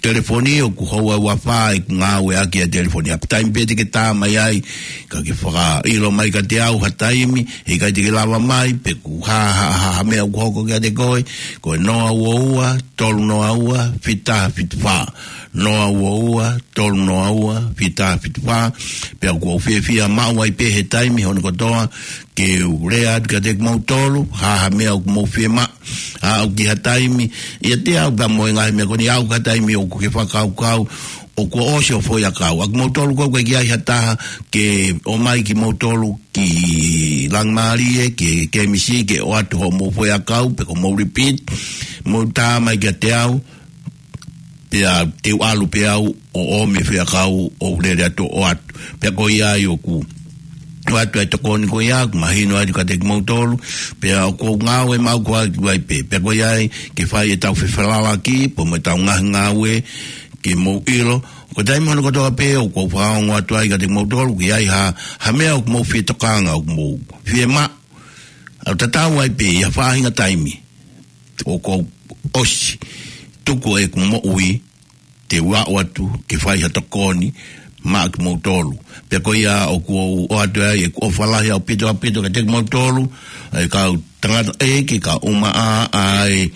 telefoni ʻoku houa ua fā ʻeku ngāueʻaki ʻa e telefoni. ʻA e taimi pē te ke tā mai ai, ka ke fakaʻilo mai kiate au ha taimi, he ʻikai te ke lava mai, pe ko ha, ha, ha, ha meʻa ʻoku hoko kiate koe, ko e noa ua ua, tolu noa ua, fita fitu fā. Noa ua ua, tolu noa ua, fita fitu fā. Pea ʻoku ou fiefia maʻu ai pē he taimi hono kotoa, ke u lea atu kiate kimoutolu, ha, ha meʻa ʻoku mou fiemaʻu, ʻa ʻoku ʻi ha taimi, ʻiate au pea mo e ngaahi meʻa ko eni ʻa ʻoku ʻi ha taimi ʻoku ke fakakaukau, ʻoku ʻosi hoʻo foʻi ʻakau. ʻA kimoutolu ko ē ʻoku ʻikai ha taha ke ʻomai kimoutolu ki Langimalie, ki, ki he M C, ke ʻoatu hoʻomou foʻi ʻakau, pe ko hoʻomou repeat, mou tā mai kiate au, pea te u ʻalu pē au ʻo ʻomi e foʻi ʻakau ʻo lele atu ʻo ʻoatu. Pea ko ia ai ʻoku ʻoatu ai e tokoni ko ia, ʻoku mahino atu kiate kimoutolu, pea ʻoku ou ngāue maʻu ko ē ʻi ai pē. Pea ko ia ai ke fai ʻetau fefalalaki, pea mo ʻetau ngaahi ngāue, ke mou ʻilo. Ko e taimi hono kotoa pē ʻoku ou fakaongo atu ai kiate kimoutolu, ʻoku ʻi ai ha, ha meʻa ʻoku mou fie tokanga, ʻoku mou fiemaʻu. ʻOku tatau ai pē ʻi ha faʻahinga taimi ʻoku ou ʻosi tuku ʻeku moʻui, te u aʻu atu ke fai ha tokoni maʻa kimoutolu. Pea ko ia ʻoku ou ʻoatu ai ʻeku ʻofa lahi ʻaupito ʻaupito kiate kimoutolu, ʻa e kau tangataʻeiki, kau ʻumaʻā, ʻa e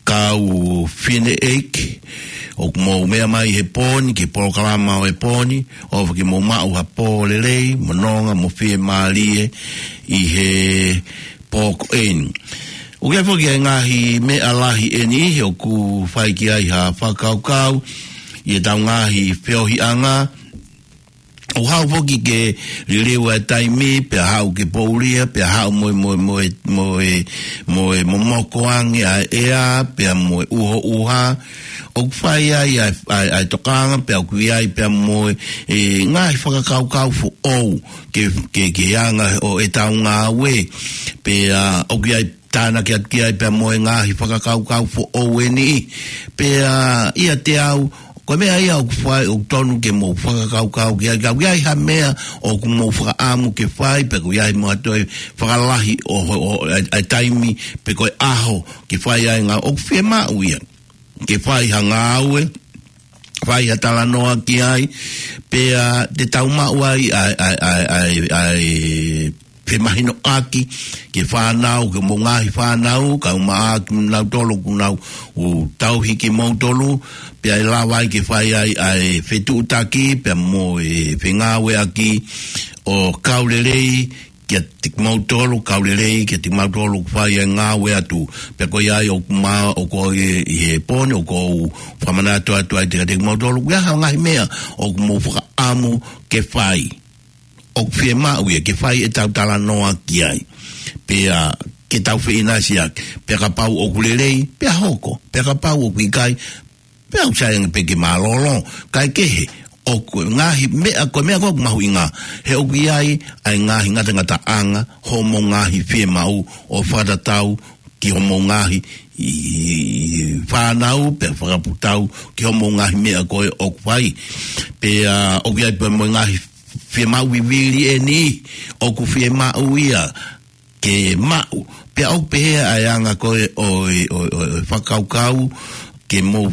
kau fineʻeiki, ʻoku mou meʻa mai he pō ni, ki he polokalama ʻo e pō ni, ʻofa ke mou maʻu ha pō lelei, mo nonga, mo fiemālie ʻi he pō ko eni. ʻOku ʻi ai foki e ngaahi meʻa lahi ʻe niʻihi ʻoku fai ki ai ha fakakaukau ʻi heʻetau ngaahi feohiʻanga. ʻOku haʻu foki ke liliu e taimi, pea haʻu ke poulia, pea haʻu mo e, mo e, mo e, mo e, mo e momoko ange ʻa e ʻea, pea mo e ʻuhoʻuha. ʻOku fai ai ʻa e, ʻa e, ʻa e tokanga, pea ʻoku ʻi ai pea mo e, e ngaahi fakakaukau foʻou ke, ke, ke anga ʻo ʻetau ngāue, pea ʻoku ʻi ai tānaki atu ki ai pea mo e ngaahi fakakaukau foʻou ʻe niʻihi. Pea ʻiate au, ko e meʻa ia ʻoku fai, ʻoku tonu ke mou fakakaukau ki ai, ka ʻoku ʻi ai ha meʻa ʻoku mou fakaʻamu ke fai, pe ʻoku ʻi ai mo ha toe fakalahi ʻo, ʻo, ʻo, ʻa e, ʻa e taimi, pe ko e ʻaho, ke fai ai ngā ʻoku fiemaʻu ia. Ke fai ha ngāue, fai ha talanoa ki ai, pea te tau maʻu ai ʻa e, ʻa e, ʻa e, ʻa e, ʻa e femahinoʻaki ki he fānau, ki hoʻomou ngaahi fānau, kau maʻa kinautolu ʻoku nau ʻoku tauhi kimoutolu, pea ʻe lava ai ke fai ai ʻa e fetuʻutaki, pea mo e fengāueʻaki ʻo kau lelei kiate kimoutolu, kau lelei kiate kimoutolu ʻoku fai e ngāue atu. Pea ko ia ai ʻoku ma-, ʻoku ʻi he pō ni, ʻoku ou fakamanatu atu ai kiate kimoutolu, ʻoku ʻi ai ha ngaahi meʻa ʻoku mou fakaʻamu ke fai, ʻoku fiemaʻu ia ke fai ʻetau talanoa ki ai. Pea ke tau feʻinasiʻaki, pea kapau ʻoku lelei, pea hoko, pea kapau ʻoku ʻikai, pea ʻoku sai ange pē ke mālōlō, kae kehe, ʻoku ngaahi meʻa, ko e meʻa ko ē ʻoku mahuʻinga, he ʻoku ʻi ai ʻa e ngaahi ngatangataʻanga, hoʻomou ngaahi fiemaʻu ʻo fakatatau ki hoʻomou ngaahi ʻi, ʻi fānau, pea fakatatau ki hoʻomou ngaahi meʻa ko ē ʻoku fai. Pea ʻoku ʻi ai pē mo e ngaahi fiemaʻu vivili ʻe niʻihi, ʻoku fiemaʻu ia ke maʻu. Pea ʻoku pehē ʻa e anga ko ē ʻo e, ʻo e, ʻo e, ʻo e fakakaukau, ke mou,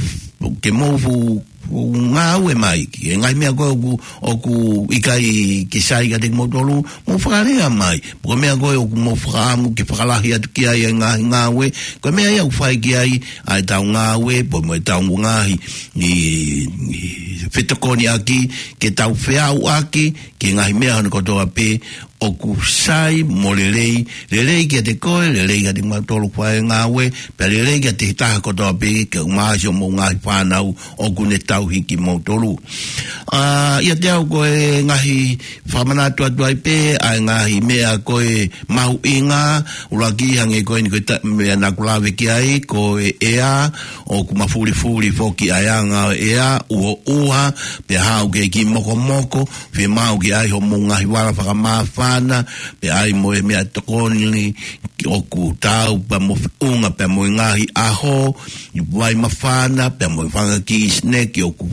ke mou fu-, fu-, ngāue mai ki he ngaahi meʻa ko ē ʻoku, ʻoku ʻikai ke sai kiate kimoutolu, mou fakalea mai. Ko e meʻa ko ē ʻoku mou fakaʻamu ke fakalahi atu ki ai e ngaahi ngāue, ko e meʻa ia ʻoku fai ki ai ʻa ʻetau ngāue, pea mo ʻetau ngaahi, ʻi, ʻi fetokoniʻaki, ke tau feʻauʻaki ki he ngaahi meʻa hono kotoa pē, ʻoku sai mo lelei, lelei kiate koe, lelei kiate kimautolu fai ngāue, pea lelei kiate he taha kotoa pē, ke ʻumaʻā siʻomou ngaahi fānau ʻoku ne tauhi kimoutolu. ʻA, ʻiate au ko e ngaahi fakamanatu atu ai pē, ʻa e ngaahi meʻa ko ē mahuʻinga, ʻuluaki hangē ko eni ko e ta-, meʻa naʻa ku lave ki ai, ko e ʻea, ʻoku mafulifuli foki ʻa e anga ʻo e ʻea, ʻuhoʻuha, pea haʻu ki he kiʻi mokomoko, fiemaʻu ke ʻai hoʻomou ngaahi vala fakamāfana, pea ʻai mo e meʻatokoni ʻoku taau pea mo feʻunga pea mo e ngaahi ʻaho, ʻi vai māfana, pea mo e fanga kiʻi sineki ʻoku,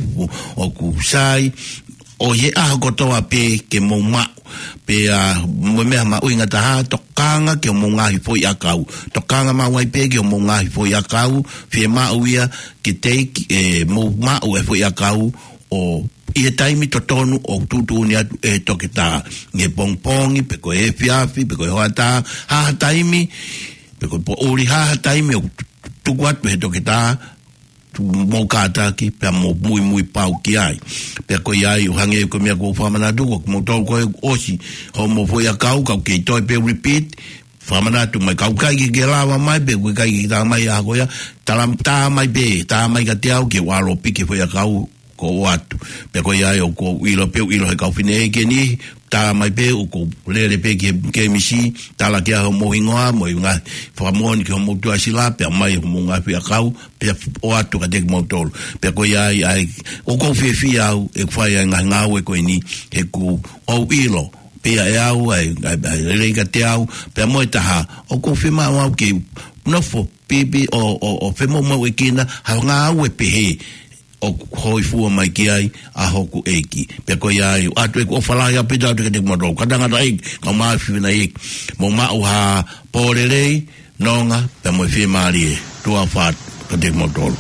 ʻoku sai, ʻo ʻi he ʻaho kotoa pē ke mou maʻu. Pea mo e meʻa mahuʻinga taha, tokanga ki hoʻomou ngaahi foʻiʻakau. Tokanga maʻu ai pē ki hoʻomou ngaahi foʻiʻakau, fiemaʻu ia ke teʻeki, ʻe, mou maʻu e foʻiʻakau ʻo ʻi he taimi totonu ʻoku tuʻutuʻuni atu ʻe he toketā. ʻI he pongipongi, pe ko e efiafi, pe ko e hoʻatā, ha ha taimi, pe ko e poʻuli, ha ha taimi ʻoku tuku atu ʻe he toketā, tu-, mou kātaki, pea mou muimui pau ki ai. Pea ko ia ai, ʻo hangē ko e meʻa kuo u fakamanatu, ko kimoutolu ko ē ʻosi hoʻomou foʻiʻakau, ka ʻoku kei toe pē repeat, fakamanatu mai, ka ʻoku ʻikai ke ke lava mai, pe ʻoku ʻikai ke tā mai ʻaho ko ia, tala, tā mai pē, tā mai kiate au ke u ʻalu ʻo piki e foʻiʻakau kuo ʻoatu. Pea ko ia ai ʻoku ou ʻilo pē, ʻilo he kau fineʻeiki ni, tā mai pē ʻoku ou lele pē ki he kēmisi, tala ki ai hoʻomou hingoa, mo e ngaahi fakamoʻoni ki hoʻomou tuʻasila, pea mai hoʻomou ngaahi foʻiʻakau, pea ʻoatu kiate kimoutolu. Pea ko ia ai, ai, ʻoku ou fiefia au, ʻeku fai ai e ngaahi ngāue ko eni, he ʻoku ou ʻilo, pea ʻe au, ai, ai, ai, lelei kiate au, pea mo e taha, ʻoku ou fiemaʻu au ke nofo, pipi, ʻo, ʻo, ʻo femoʻuekina, ha ngāue pehē, ʻoku hōifua mai ki ai ʻa hoku ʻEiki. Pea ko ia ai, ʻoatu ʻeku ʻofa lahi ʻaupito atu kiate kimoutolu. Kātaki ʻEiki, kau mai fifina ʻEiki. Mou maʻu ha pō lelei, nonga, pea mo e fiemālie. Tuʻa ʻofa atu kiate kimoutolu.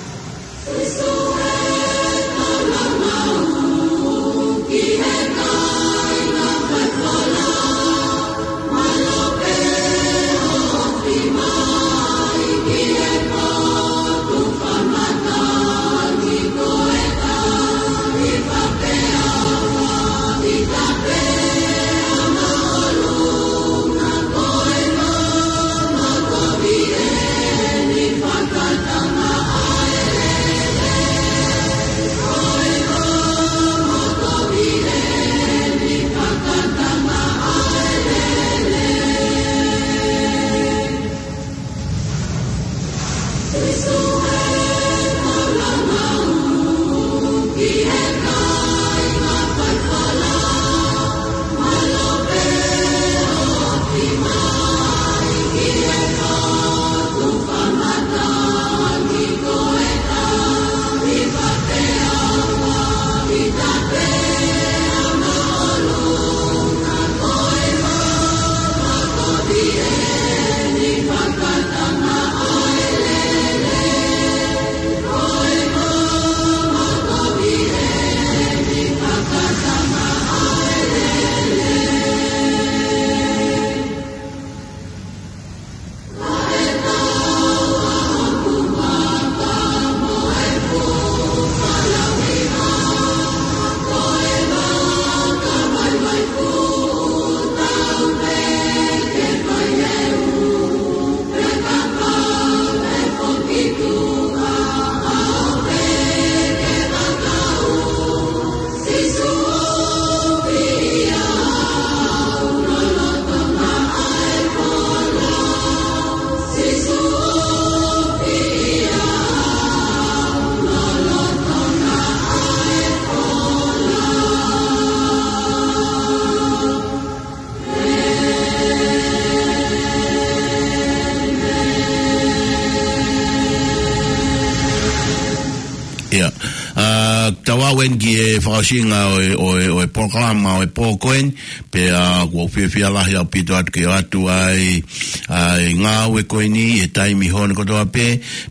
ʻIa. ʻA, tau aʻu eni ki he fakaʻosinga ʻo e, ʻo e, ʻo e polokalama ʻo e pō ko eni, pea ʻoku ou fiefia lahi ʻaupito atu ke ʻoatu ai ʻa e ngāue ko eni he taimi hono kotoa pē,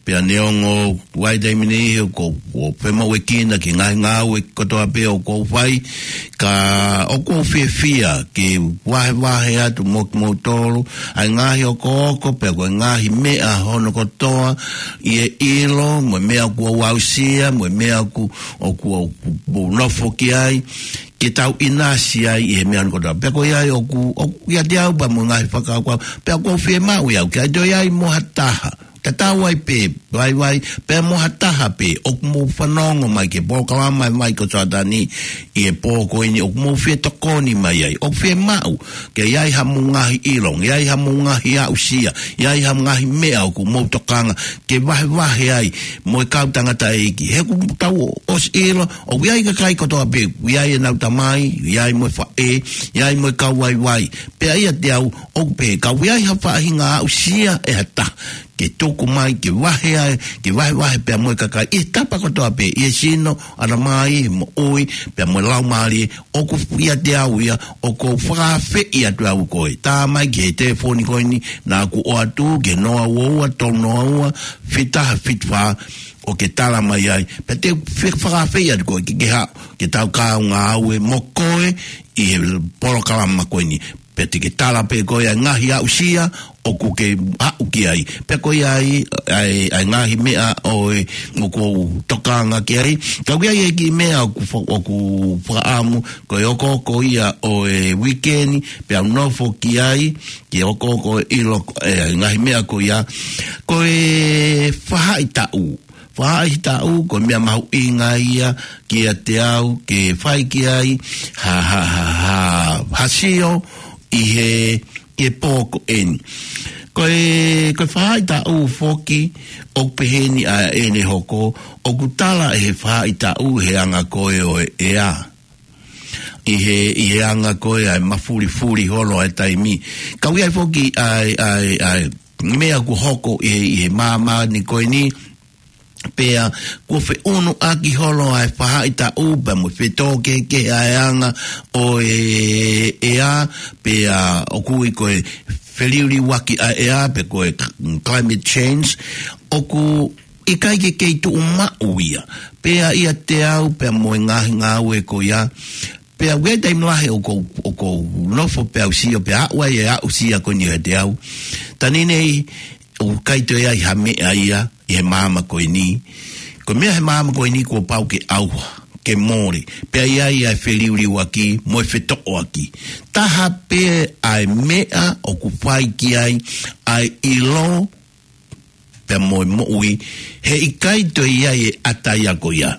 pea neongo ʻoku ʻi ai e taimi ni he ʻoku ou, ʻoku ou femoʻuekina ki he ngaahi ngāue kotoa pē ʻoku ou fai, ka ʻoku ou fiefia ke vahevahe atu mo kimoutolu ʻa e ngaahi okooko, pea ko e ngaahi meʻa hono kotoa, ʻi he ʻilo, mo e meʻa ʻoku ou aʻusia, mo e meʻa ʻoku, ʻoku, ʻoku ou nofo ki ai, ke tau ʻinasi ai ʻi he meʻa hono kotoa. Pea ko ia ai ʻoku, ʻoku ʻiate au pea mo e ngaahi fakakaukau, pea ʻoku ou fiemaʻu ia au, ke ʻai toe ai mo ha taha. Tatau ai pē, vaivai, pea mo ha taha pē, ʻoku mou fanongo mai ki he polokalama ʻa e Vaikausatani ʻi he pō ko eni, ʻoku mou fie tokoni mai ai, ʻoku fiemaʻu ke ʻi ai hamou ngaahi ʻilo, ʻi ai hamou ngaahi aʻusia, ʻi ai hamou ngaahi meʻa ʻoku mou tokanga ke vahevahe ai mo e kau tangataʻeiki. He ʻoku tau ʻosi ʻilo, ʻoku ʻi ai e kakai kotoa pē, ʻi ai ʻenau tamai, ʻi ai mo e faʻē, ʻi ai mo e kau vaivai. Pea ʻiate au, ʻoku pehē, ka ʻoku ʻi ai ha faʻahinga aʻusia ʻe ha taha ke tuku mai, ke vahe ai, ke vahevahe pea mo e kakai ʻi he tapa kotoa pē, ʻi he sino, ʻatamai, moʻui, pea mo e laumālie, ʻoku ʻiate au ia, ʻoku ou fakaafeʻi atu au koe. Tā mai ki he telefoni ko eni, naʻa ku ʻoatu, ki he noa ua ua, tolu noa ua, fitu taha fitu fā, ʻo ke tala mai ai. Pea te u fe-, fakaafeʻi atu koe, ke ke haʻu, ke tau kaungā ngāue mo koe, ʻi he polokalama ko eni. Pea te ke tala pē koe ʻa e ngaahi aʻusia ʻoku ke aʻu ki ai. Pea ko ia ai, ʻa e, ʻa e ngaahi meʻa ʻo e, ʻoku ou tokanga ki ai. Ka ʻoku ʻi ai e kiʻi meʻa ʻoku fa-, ʻoku fakaʻamu, ko e hokohoko ia ʻo e uike ni, pea u nofo ki ai, ke hokohoko ʻilo, ʻe, ngaahi meʻa ko ia. Ko e fahaʻitaʻu. Fahaʻitaʻu, ko e meʻa mahuʻinga ia kiate au, ke fai ki ai ha, ha, ha, ha, ha sio ʻi he, ʻi he pō ko eni. Ko e, ko e fahaʻitaʻu foki, ʻoku peheni ʻa ʻene hoko, ʻoku tala ʻe he fahaʻitaʻu he anga ko ē ʻo e ʻea. ʻI he, ʻi he anga ko ē ʻa e mafulifuli holo ʻa e taimi. Ka ʻoku ʻi ai foki ʻa e, ʻa e, ʻa e meʻa ʻoku hoko ʻi he, ʻi he māmani ko eni, pea kuo feʻunuʻaki holo ʻa e fahaʻitaʻu, pea mo e fetōkehekehe ʻa e anga ʻo e ʻea, pea ʻoku ui ko e feliuliuaki ʻa e ʻea, pe ko e climate change, ʻoku ʻikai ke kei tuʻu maʻu ia. Pea ʻiate au, pea mo e ngaahi ngāue ko ia, pea ʻoku ʻi ai e taimi lahi ʻoku ou, ʻoku ou nofo pea u sio, pea aʻu ai e aʻusia ko eni ʻiate au. Taimi ni, ʻoku ʻikai toe ʻi ai ha meʻa ia, ʻi he māmani ko eni. Ko e meʻa he māmani ko eni kuo pau ke ʻauha, ke mole. Pea ʻi ai ʻa e feliuliuaki, mo e fetoʻoaki. Taha pē ʻa e meʻa ʻoku fai ki ai, ʻa e ʻilo, pea mo e moʻui, heʻikai toe ʻi ai e ʻata ia ko ia.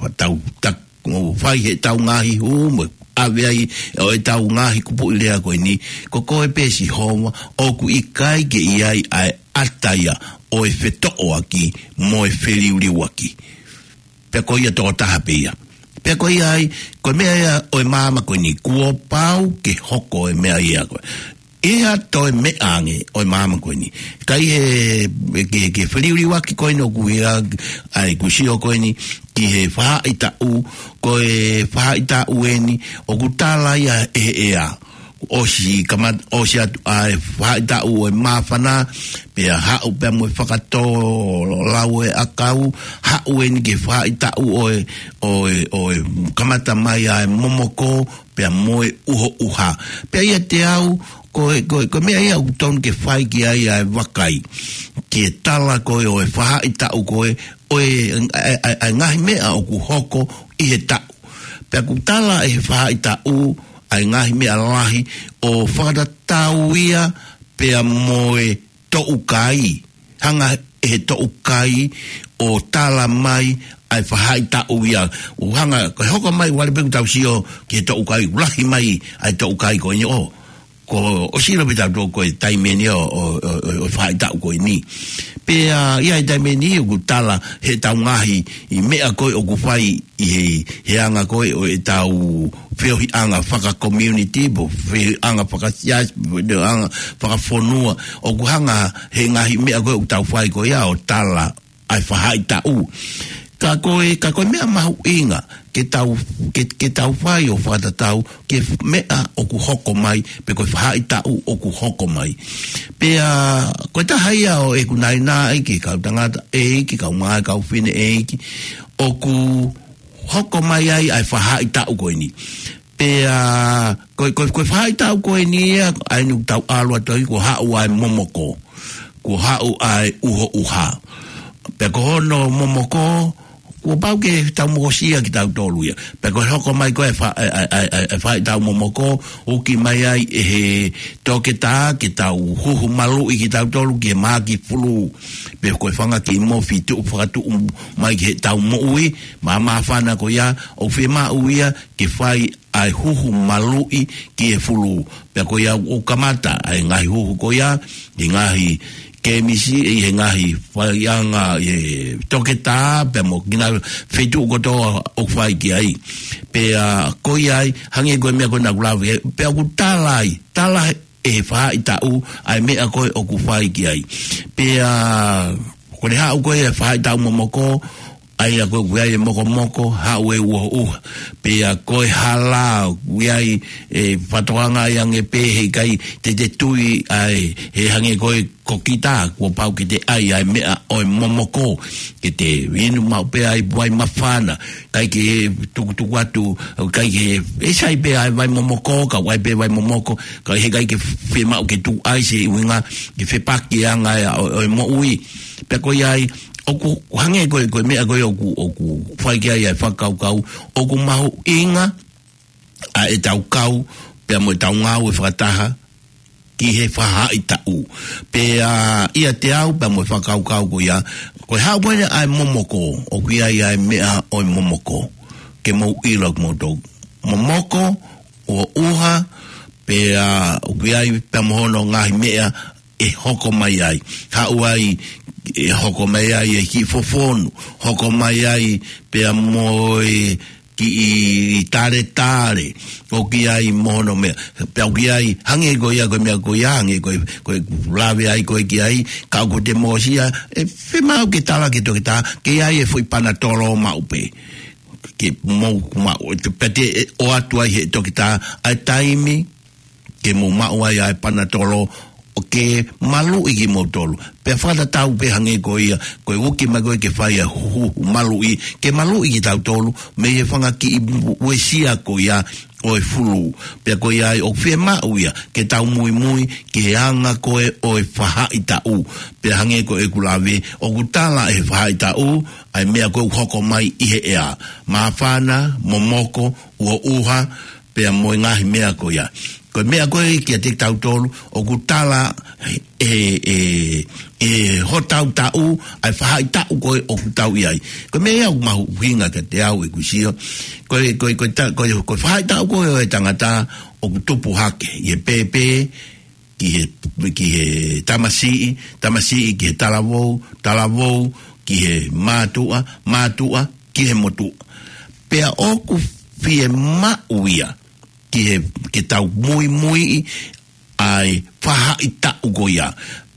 Ua tau, ta-, ʻo fai heʻetau ngaahi hū, mo ʻave ai ʻo ʻetau ngaahi kupuʻi lea ko eni, ko koe pē Sihova, ʻoku ʻikai ke ʻi ai ʻa e ʻata ia, ʻo e fetoʻoaki, mo e feliuliuaki. Pea ko ia tokotaha pē ia. Pea ko ia ai, ko e meʻa ia ʻo e māmani ko eni, kuo pau ke hoko e meʻa ia ko ē. ʻI ha toe meʻa ange ʻo e māmani ko eni. Ka ʻi he, ke, ke feliuliuaki ko eni ʻoku ʻi ai, ʻa e kusio ko eni, ki he fahaʻitaʻu, ko e fahaʻitaʻu eni, ʻoku tala ia ʻe he ʻea. ʻOsi kamat-, ʻosi atu ʻa e fahaʻitaʻu ʻo e māfana, pea haʻu pea mo e fakatō lau ʻo e ʻakau, haʻu eni ki he fahaʻitaʻu ʻo e, ʻo e, ʻo e kamata mai ʻa e momoko, pea mo e ʻuhoʻuha. Pea ʻiate au, ko e, ko e, ko e meʻa ia ʻoku tonu ke fai ki ai ʻa e vakai. Ke tala ko ē ʻo e fahaʻitaʻu ko ē, ʻo e, ʻa e, ʻa e, ʻa e ngaahi meʻa ʻoku hoko ʻi he taʻu. Pea ʻoku tala ʻe he fahaʻitaʻu, ʻa e ngaahi meʻa lahi, ʻo fakatatau ia, pea mo e toʻukai. Hanga ʻe he toʻukai ʻo tala mai ʻa e fahaʻitaʻu ia. ʻO hanga, ko e hoko mai, vale pē ʻoku tau sio ki he toʻukai, lahi mai ʻa e toʻukai ko eni ʻo. Ko, ʻosi ʻilo pē tautolu ko e taimi eni ʻo, ʻo, ʻo, ʻo, ʻo e fahaʻitaʻu ko eni. Pea, ʻi he taimi eni ʻoku tala heʻetau ngaahi, ʻi meʻa ko ē ʻoku fai ʻi he, he anga ko ē ʻo ʻetau feohiʻanga faka-community, mo feohiʻanga fakasiasi, mo feohiʻanga fakafonua, ʻoku hanga he ngaahi meʻa ko ē ʻoku tau fai ko ia ʻo tala ʻa e fahaʻitaʻu. Ka ko e, ka ko e meʻa mahuʻinga, ke tau, ke, ke tau fai ʻo fakatatau, ki he f-, meʻa ʻoku hoko mai, pe ko e fahaʻitaʻu ʻoku hoko mai. Pea, ko e taha ia ʻo ʻeku naʻinaʻi ki he kau tangataʻeiki, kau mā, kau fineʻeiki, ʻoku hoko mai ai ʻa e fahaʻitaʻu ko eni. Pea, ko, ko, ko e fahaʻitaʻu ko eni ia, ʻa eni ʻoku tau ʻalu atu ai, kuo haʻu ʻa e momoko. Kuo haʻu ʻa e ʻuhoʻuha. Pea ko hono momoko, kuo pau ke tau mokosia kitautolu ia. Pea ko e hoko mai ko ē fa-, ʻa e, ʻa e, ʻa e, ʻa e fahaʻitaʻu momoko, ʻoku ʻomai ai ʻe he toketā ke tau huhu maluʻi kitautolu ki he mahaki fulū. Pea ko e fanga kiʻi mofi tuʻu fakatuʻu mai ki heʻetau moʻui, mā-, māfana ko ia, ʻoku fiemaʻu ia ke fai ʻa e huhu maluʻi ki he fulū. Pea ko ia ʻoku kamata ʻa e ngaahi huhu ko ia, ʻi he ngaahi kemisi, ʻi he ngaahi faiʻanga, ʻi he toketā, pea mo e ngaahi feituʻu kotoa ʻoku fai ki ai. Pea ko ia ai, hangē ko e meʻa ko ē naʻa ku lave, pea ʻoku tala ai, tala he, ʻe he faʻahitaʻu ʻa e meʻa ko ē ʻoku fai ki ai. Pea ko e haʻu ko ē ʻa e faʻahitaʻu momoko, ʻa ia ko ē ʻoku ʻi ai e mokomoko, haʻu e uhoʻuha. Pea ko e hala, ʻoku ʻi ai e fakatokanga ʻa e ange pē he ʻikai te te tui ai, he hangē ko e kokita, kuo pau ke te ʻai ʻa e meʻa ʻo e momoko, ke te inu maʻu pē ʻa e vai māfana, ʻikai ke tukutuku atu, ʻikai ke, ʻe sai pē ʻa e vai momoko, ka ʻoku ʻi ai pē vai momoko, ka he ʻikai ke fiemaʻu ke tuʻu ai, he ʻuhinga ke fepaki e anga ʻo, ʻo e moʻui. Pea ko ia ai, ʻoku hangē ko e, ko e meʻa ko ē ʻoku, ʻoku fai ki ai ʻa e fakakaukau, ʻoku mahuʻinga ʻa ʻetau kau, pea mo ʻetau ngāue fakataha, ki he faʻahitaʻu. Pea ʻiate au, pea mo e fakakaukau ko ia, ko e haʻu ko ē ʻa e momoko, ʻoku ʻi ai ʻa e meʻa ʻo e momoko. Ke mou ʻilo kimoutolu. Momoko, uhoʻuha, pea ʻoku ʻi ai pea mo hono ngaahi meʻa ʻe hoko mai ai. Haʻu ai, ʻe hoko mai ai e kiʻi fofonu, hoko mai ai pea mo e kiʻi taletale, ʻoku ʻi ai mo hono meʻa, pea ʻoku ʻi ai, hangē ko ia, ko e meʻa ko ia, hangē ko e, ko e lave ai ko ē ki ai, ka ʻoku te mosia, ʻe fiemaʻu ke tala ki he toketā, ke ʻi ai e foʻi panatolo maʻu pē. Ke mou maʻu, pea te ʻoatu ai he toketā ʻa e taimi, ke mou maʻu ai ʻa e panatolo, ʻo ke maluʻi kimoutolu. Pea fakatatau pē hangē ko ia, ko e uki mai ko ē ke fai ʻa e huhu maluʻi, ke maluʻi kitautolu, mei he fanga kiʻi uesia ko ia ʻo e fulu. Pea ko ia ai ʻoku fiemaʻu ia, ke tau muimui, ki he anga ko ē ʻo e faʻahitaʻu. Pea hangē ko ʻeku lave, ʻoku tala ʻe he faʻahitaʻu, ʻa e meʻa ko ē ʻoku hoko mai ʻi he ʻea. Māfana, momoko, uhoʻuha, pea mo e ngaahi meʻa ko ia. Ko e meʻa ko ē kiate kitautolu, ʻoku tala ʻe, ʻe, ʻe hotau taʻu, ʻa e faʻahitaʻu ko ē ʻoku tau ʻi ai. Ko e meʻa ia ʻoku mahuʻinga kiate au ʻeku sio. Ko e, ko e, ko e ta-, ko e, ko e faʻahitaʻu ko ē ʻo e tangata ʻoku tupu hake ʻi he pēpē, ki he, ki he tamasiʻi, tamasiʻi ki he talavou, talavou ki he mātuʻa, mātuʻa ki he motuʻa. Pea ʻoku fiemaʻu ia ki he, ke tau muimuiʻi ʻa e faʻahitaʻu ko ia.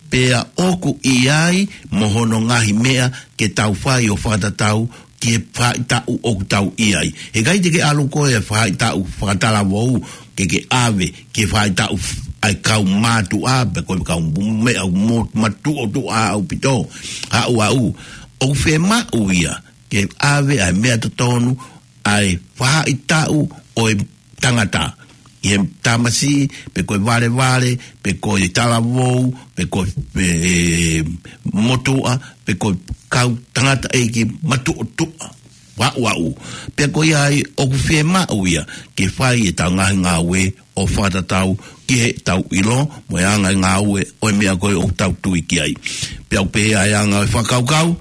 Pea ʻoku ʻi ai mo hono ngaahi meʻa ke tau fai ʻo fakatatau ki he faʻahitaʻu ʻoku tau ʻi ai. He ʻikai te ke ʻalu koe ʻa e faʻahitaʻu fakatalavou ke ke ʻave ki he faʻahitaʻu ʻa e kau mātuʻa, pe ko e kau meʻa mo-, matuʻotuʻa ʻaupito. Haʻu ʻaʻu, ʻoku fiemaʻu ia ke ʻave ʻa e meʻa totonu, ʻa e faʻahitaʻu ʻo e tangata, ʻi he tamasiʻi, pe ko e valevale, pe ko e talavou, pe ko e, e, motuʻa, pe ko e kau tangataʻeiki matuʻotuʻa. Vaʻuvaʻu. Pea ko ia ai ʻoku fiemaʻu ia ke fai ʻetau ngaahi ngāue ʻo fakatatau ki heʻetau ʻilo mo e anga e ngāue ʻo e meʻa ko ē ʻoku tau tui ki ai. Pea ʻoku pehē ʻa e anga ʻo e fakakaukau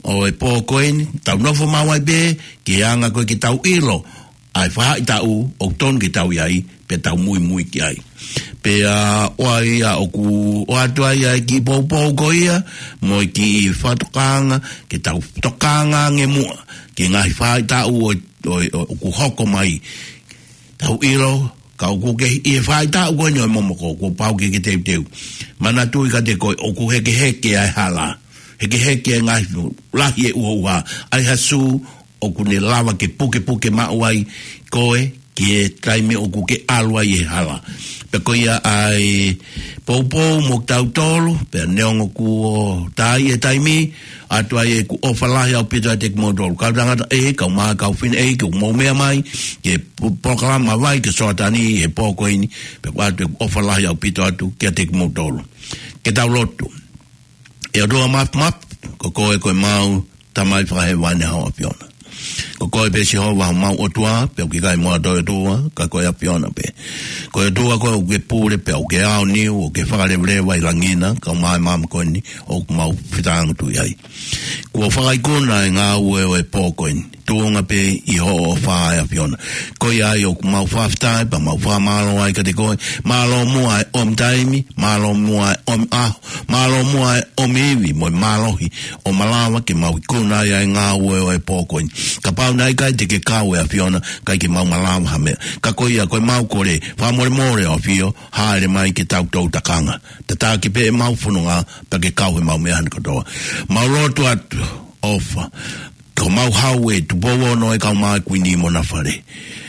ʻo e pō ko eni, tau nofo maʻu ai pē ki he anga ko ē ke tau ʻilo ʻa e faʻahitaʻu ʻoku tonu ke tau ʻi ai, pea tau muimui ki ai. Pea ʻoku ʻi ai ʻa ʻoku ʻoatu ai ʻa e kiʻi poupou ko ia, mo e kiʻi fakatokanga, ke tau tokanga ange muʻa ki he ngaahi faʻahitaʻu ʻo, ʻo, ʻo, ʻoku hoko mai. Tau ʻilo, ka ʻoku ke ʻi he faʻahitaʻu ko eni ʻo e momoko, kuo pau ke ke teuteu. Manatuʻi kiate koe, ʻoku hekeheke ʻa e hala. Hekeheke ʻa e ngaahi lahi e uhoʻuha, ʻa e hasu, ʻoku ne lava ke pukepuke maʻu ai koe ki he taimi ʻoku ke ʻalu ai he hala. Pea ko ia ʻa e poupou mo kitautolu, pea neongo kuo tā e taimi, ʻoatu ai ʻeku ʻofa lahi ʻaupito ʻiate kimoutolu. Kau tangataʻeiki, kau mā, kau fineʻeiki, ʻoku mou meʻa mai ki he pu-, polokalama Vai ki he Sioatani he pō ko eni, pea ʻoatu ʻeku ʻofa lahi ʻaupito atu kiate kimoutolu. Ke tau lotu. ʻE ʻOtua Mafimafi, ko koe ko ʻemau Tamai Fakahēvani, haʻu ʻAfiona. Ko koe pē Sihova homau ʻOtua, pea ʻoku ʻikai mo ha toe ʻOtua, ka ko e ʻAfiona pē. Ko e ʻOtua koe ʻoku ke pule, pea ʻoku ke aoniu, ʻoku ke fakalevaleva ʻi langi na, kau mai māmani ko eni, ʻoku mau fetāngutuʻi ai. Kuo fakaikuna e ngāue ʻo e pō ko eni. tuʻunga pē ʻi hoʻo ʻofa ʻe ʻAfiona. Ko ia ai ʻoku mau fakafetaʻi pea mau fakamālō ai kiate koe. Mālō muʻa e ʻomi taimi, mālō muʻa e ʻomi ʻaho, mālō muʻa e ʻomi ivi mo e mālohi ʻo malava ke mau ikuna ai ʻa e ngāue ʻo e pō ko eni. Kapau naʻe ʻikai te ke kau ʻe ʻAfiona, ʻikai ke mau malava ha meʻa. Ka ko ia ko e mau kole, fakamolemole ʻo ʻAfio, hāʻele mai ke tau toutou takanga. Tataki pē ʻemau fononga, pea ke kau he mau meʻa ni kotoa. Mau lotu atu, ʻofa. Ko mau hau ē Tupou Ono ʻe kau mai Kuini mo Nafale.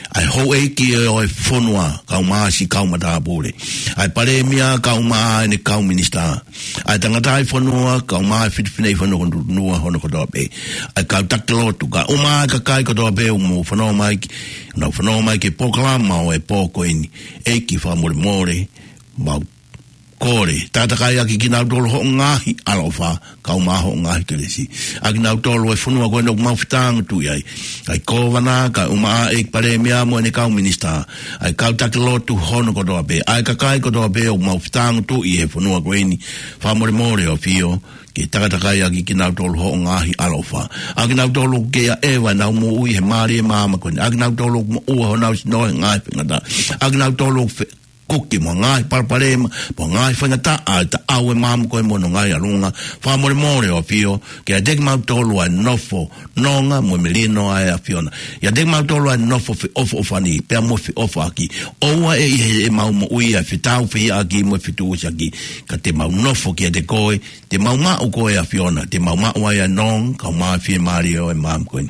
ʻA e houʻeiki ʻo e fonua, kau mai siʻi kau matāpule. ʻA e palēmia, kau mai ʻene kau minisitā. ʻA e tangataʻi fonua, kau mai fefine ʻi he fonua hono kotoa pē. ʻA e kau taki lotu, kae ʻumaʻā e kakai kotoa pē ʻoku mou fanongo mai ki, nau fanongo mai ki he polokalama ʻo e pō ko eni. ʻEiki fakamolemole, mau kole, takatakai ʻaki kinautolu hoʻo ngaahi ʻaloʻofa, kau mai hoʻo ngaahi kelesi. ʻA kinautolu ʻi he fonua ko eni ʻoku mau fetāngutuʻi ai. ʻA e kōvana, kae ʻumaʻā e palēmia mo ʻene kau minisitā. ʻA e kau taki lotu hono kotoa pē. ʻA e kakai kotoa pē ʻoku mau fetāngutuʻi he fonua ko eni. Fakamolemole ʻo ʻAfio, ke takatakai ʻaki kinautolu hoʻo ngaahi ʻaloʻofa. ʻA kinautolu ʻoku kei ʻaʻeva ʻenau moʻui he mālie māmani ko eni. ʻA kinautolu ʻoku moʻua honau sino he ngaahi faingataʻa. ʻA kinautolu ʻoku fe-, kuki mo e ngaahi palopalema, mo e ngaahi faingataʻa ʻa e taʻau ʻe māmani ko ē mo hono ngaahi ʻalunga. Fakamolemole ʻo ʻAfio, ke ʻiate kimautolu ʻa e nofo nonga mo e melino ʻa e ʻAfiona. ʻIate kimautolu ʻa e nofo feʻofoʻofani, pea mo feʻofaʻaki. ʻOua ʻe ʻi heʻemau moʻui ʻa e fetāufehiʻaki mo e fetuʻusiʻaki. Ka te mau nofo kiate koe, te mau maʻu koe ʻAfiona, te mau maʻu ai ʻa e nonga, kau mai fiemālie ʻo e māmani ko eni.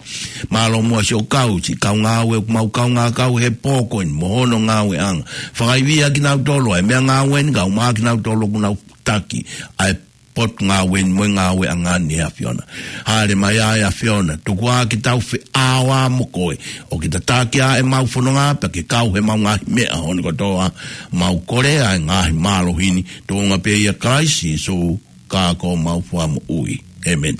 Mālō muʻa siʻo kau, siʻi kau ngāue ʻoku mau kaungā kau he pō ko eni, mo hono ngāueʻanga. Fakaivia kinautolu ʻa e meʻangāue ni, kau mai kinautolu ʻoku nau taki ʻa e potungāue ni mo e ngāueʻanga ni ʻe ʻAfiona. Hāʻele mai ʻa e ʻAfiona, tuku ā ke tau feʻao mo koe. ʻO ke tataki ʻa ʻemau fononga, pea ke kau he mau ngaahi meʻa hono kotoa, mau kole ʻa e ngaahi mālohi ni, tuʻunga pē ʻia Kalaisi Sīsū, ka ko homau Fakamoʻui. ʻĒmeni.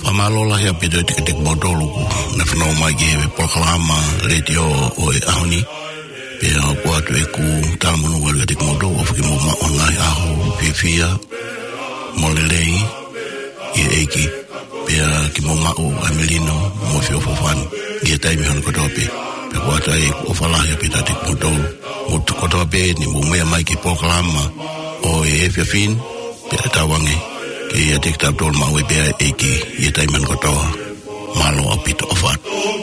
Fakamālō lahi ʻaupito kiate kimoutolu ʻoku ne fanongo mai ki he polokalama letiō ʻo e ʻaho ni. Pea ʻoku ʻoatu ʻeku talamonū atu kiate kimoutolu, ʻofa ke mou maʻu ha ngaahi ʻaho fiefia mo lelei ʻi he ʻEiki. Pea ke mou maʻu ʻa e melino mo e feʻofoʻofani ʻi he taimi hono kotoa pē. Pea ʻoku ʻoatu ai ʻeku ʻofa lahi ʻaupito kiate kimoutolu. Mou tuʻu kotoa pē ʻi he mou meʻa mai ki he polokalama ʻo e efiafi ni, pea tauange ke ʻiate kitautolu maʻu ai pē ʻa e ʻEiki ʻi he taimi hono kotoa. Mālō ʻaupito, ʻofa atu.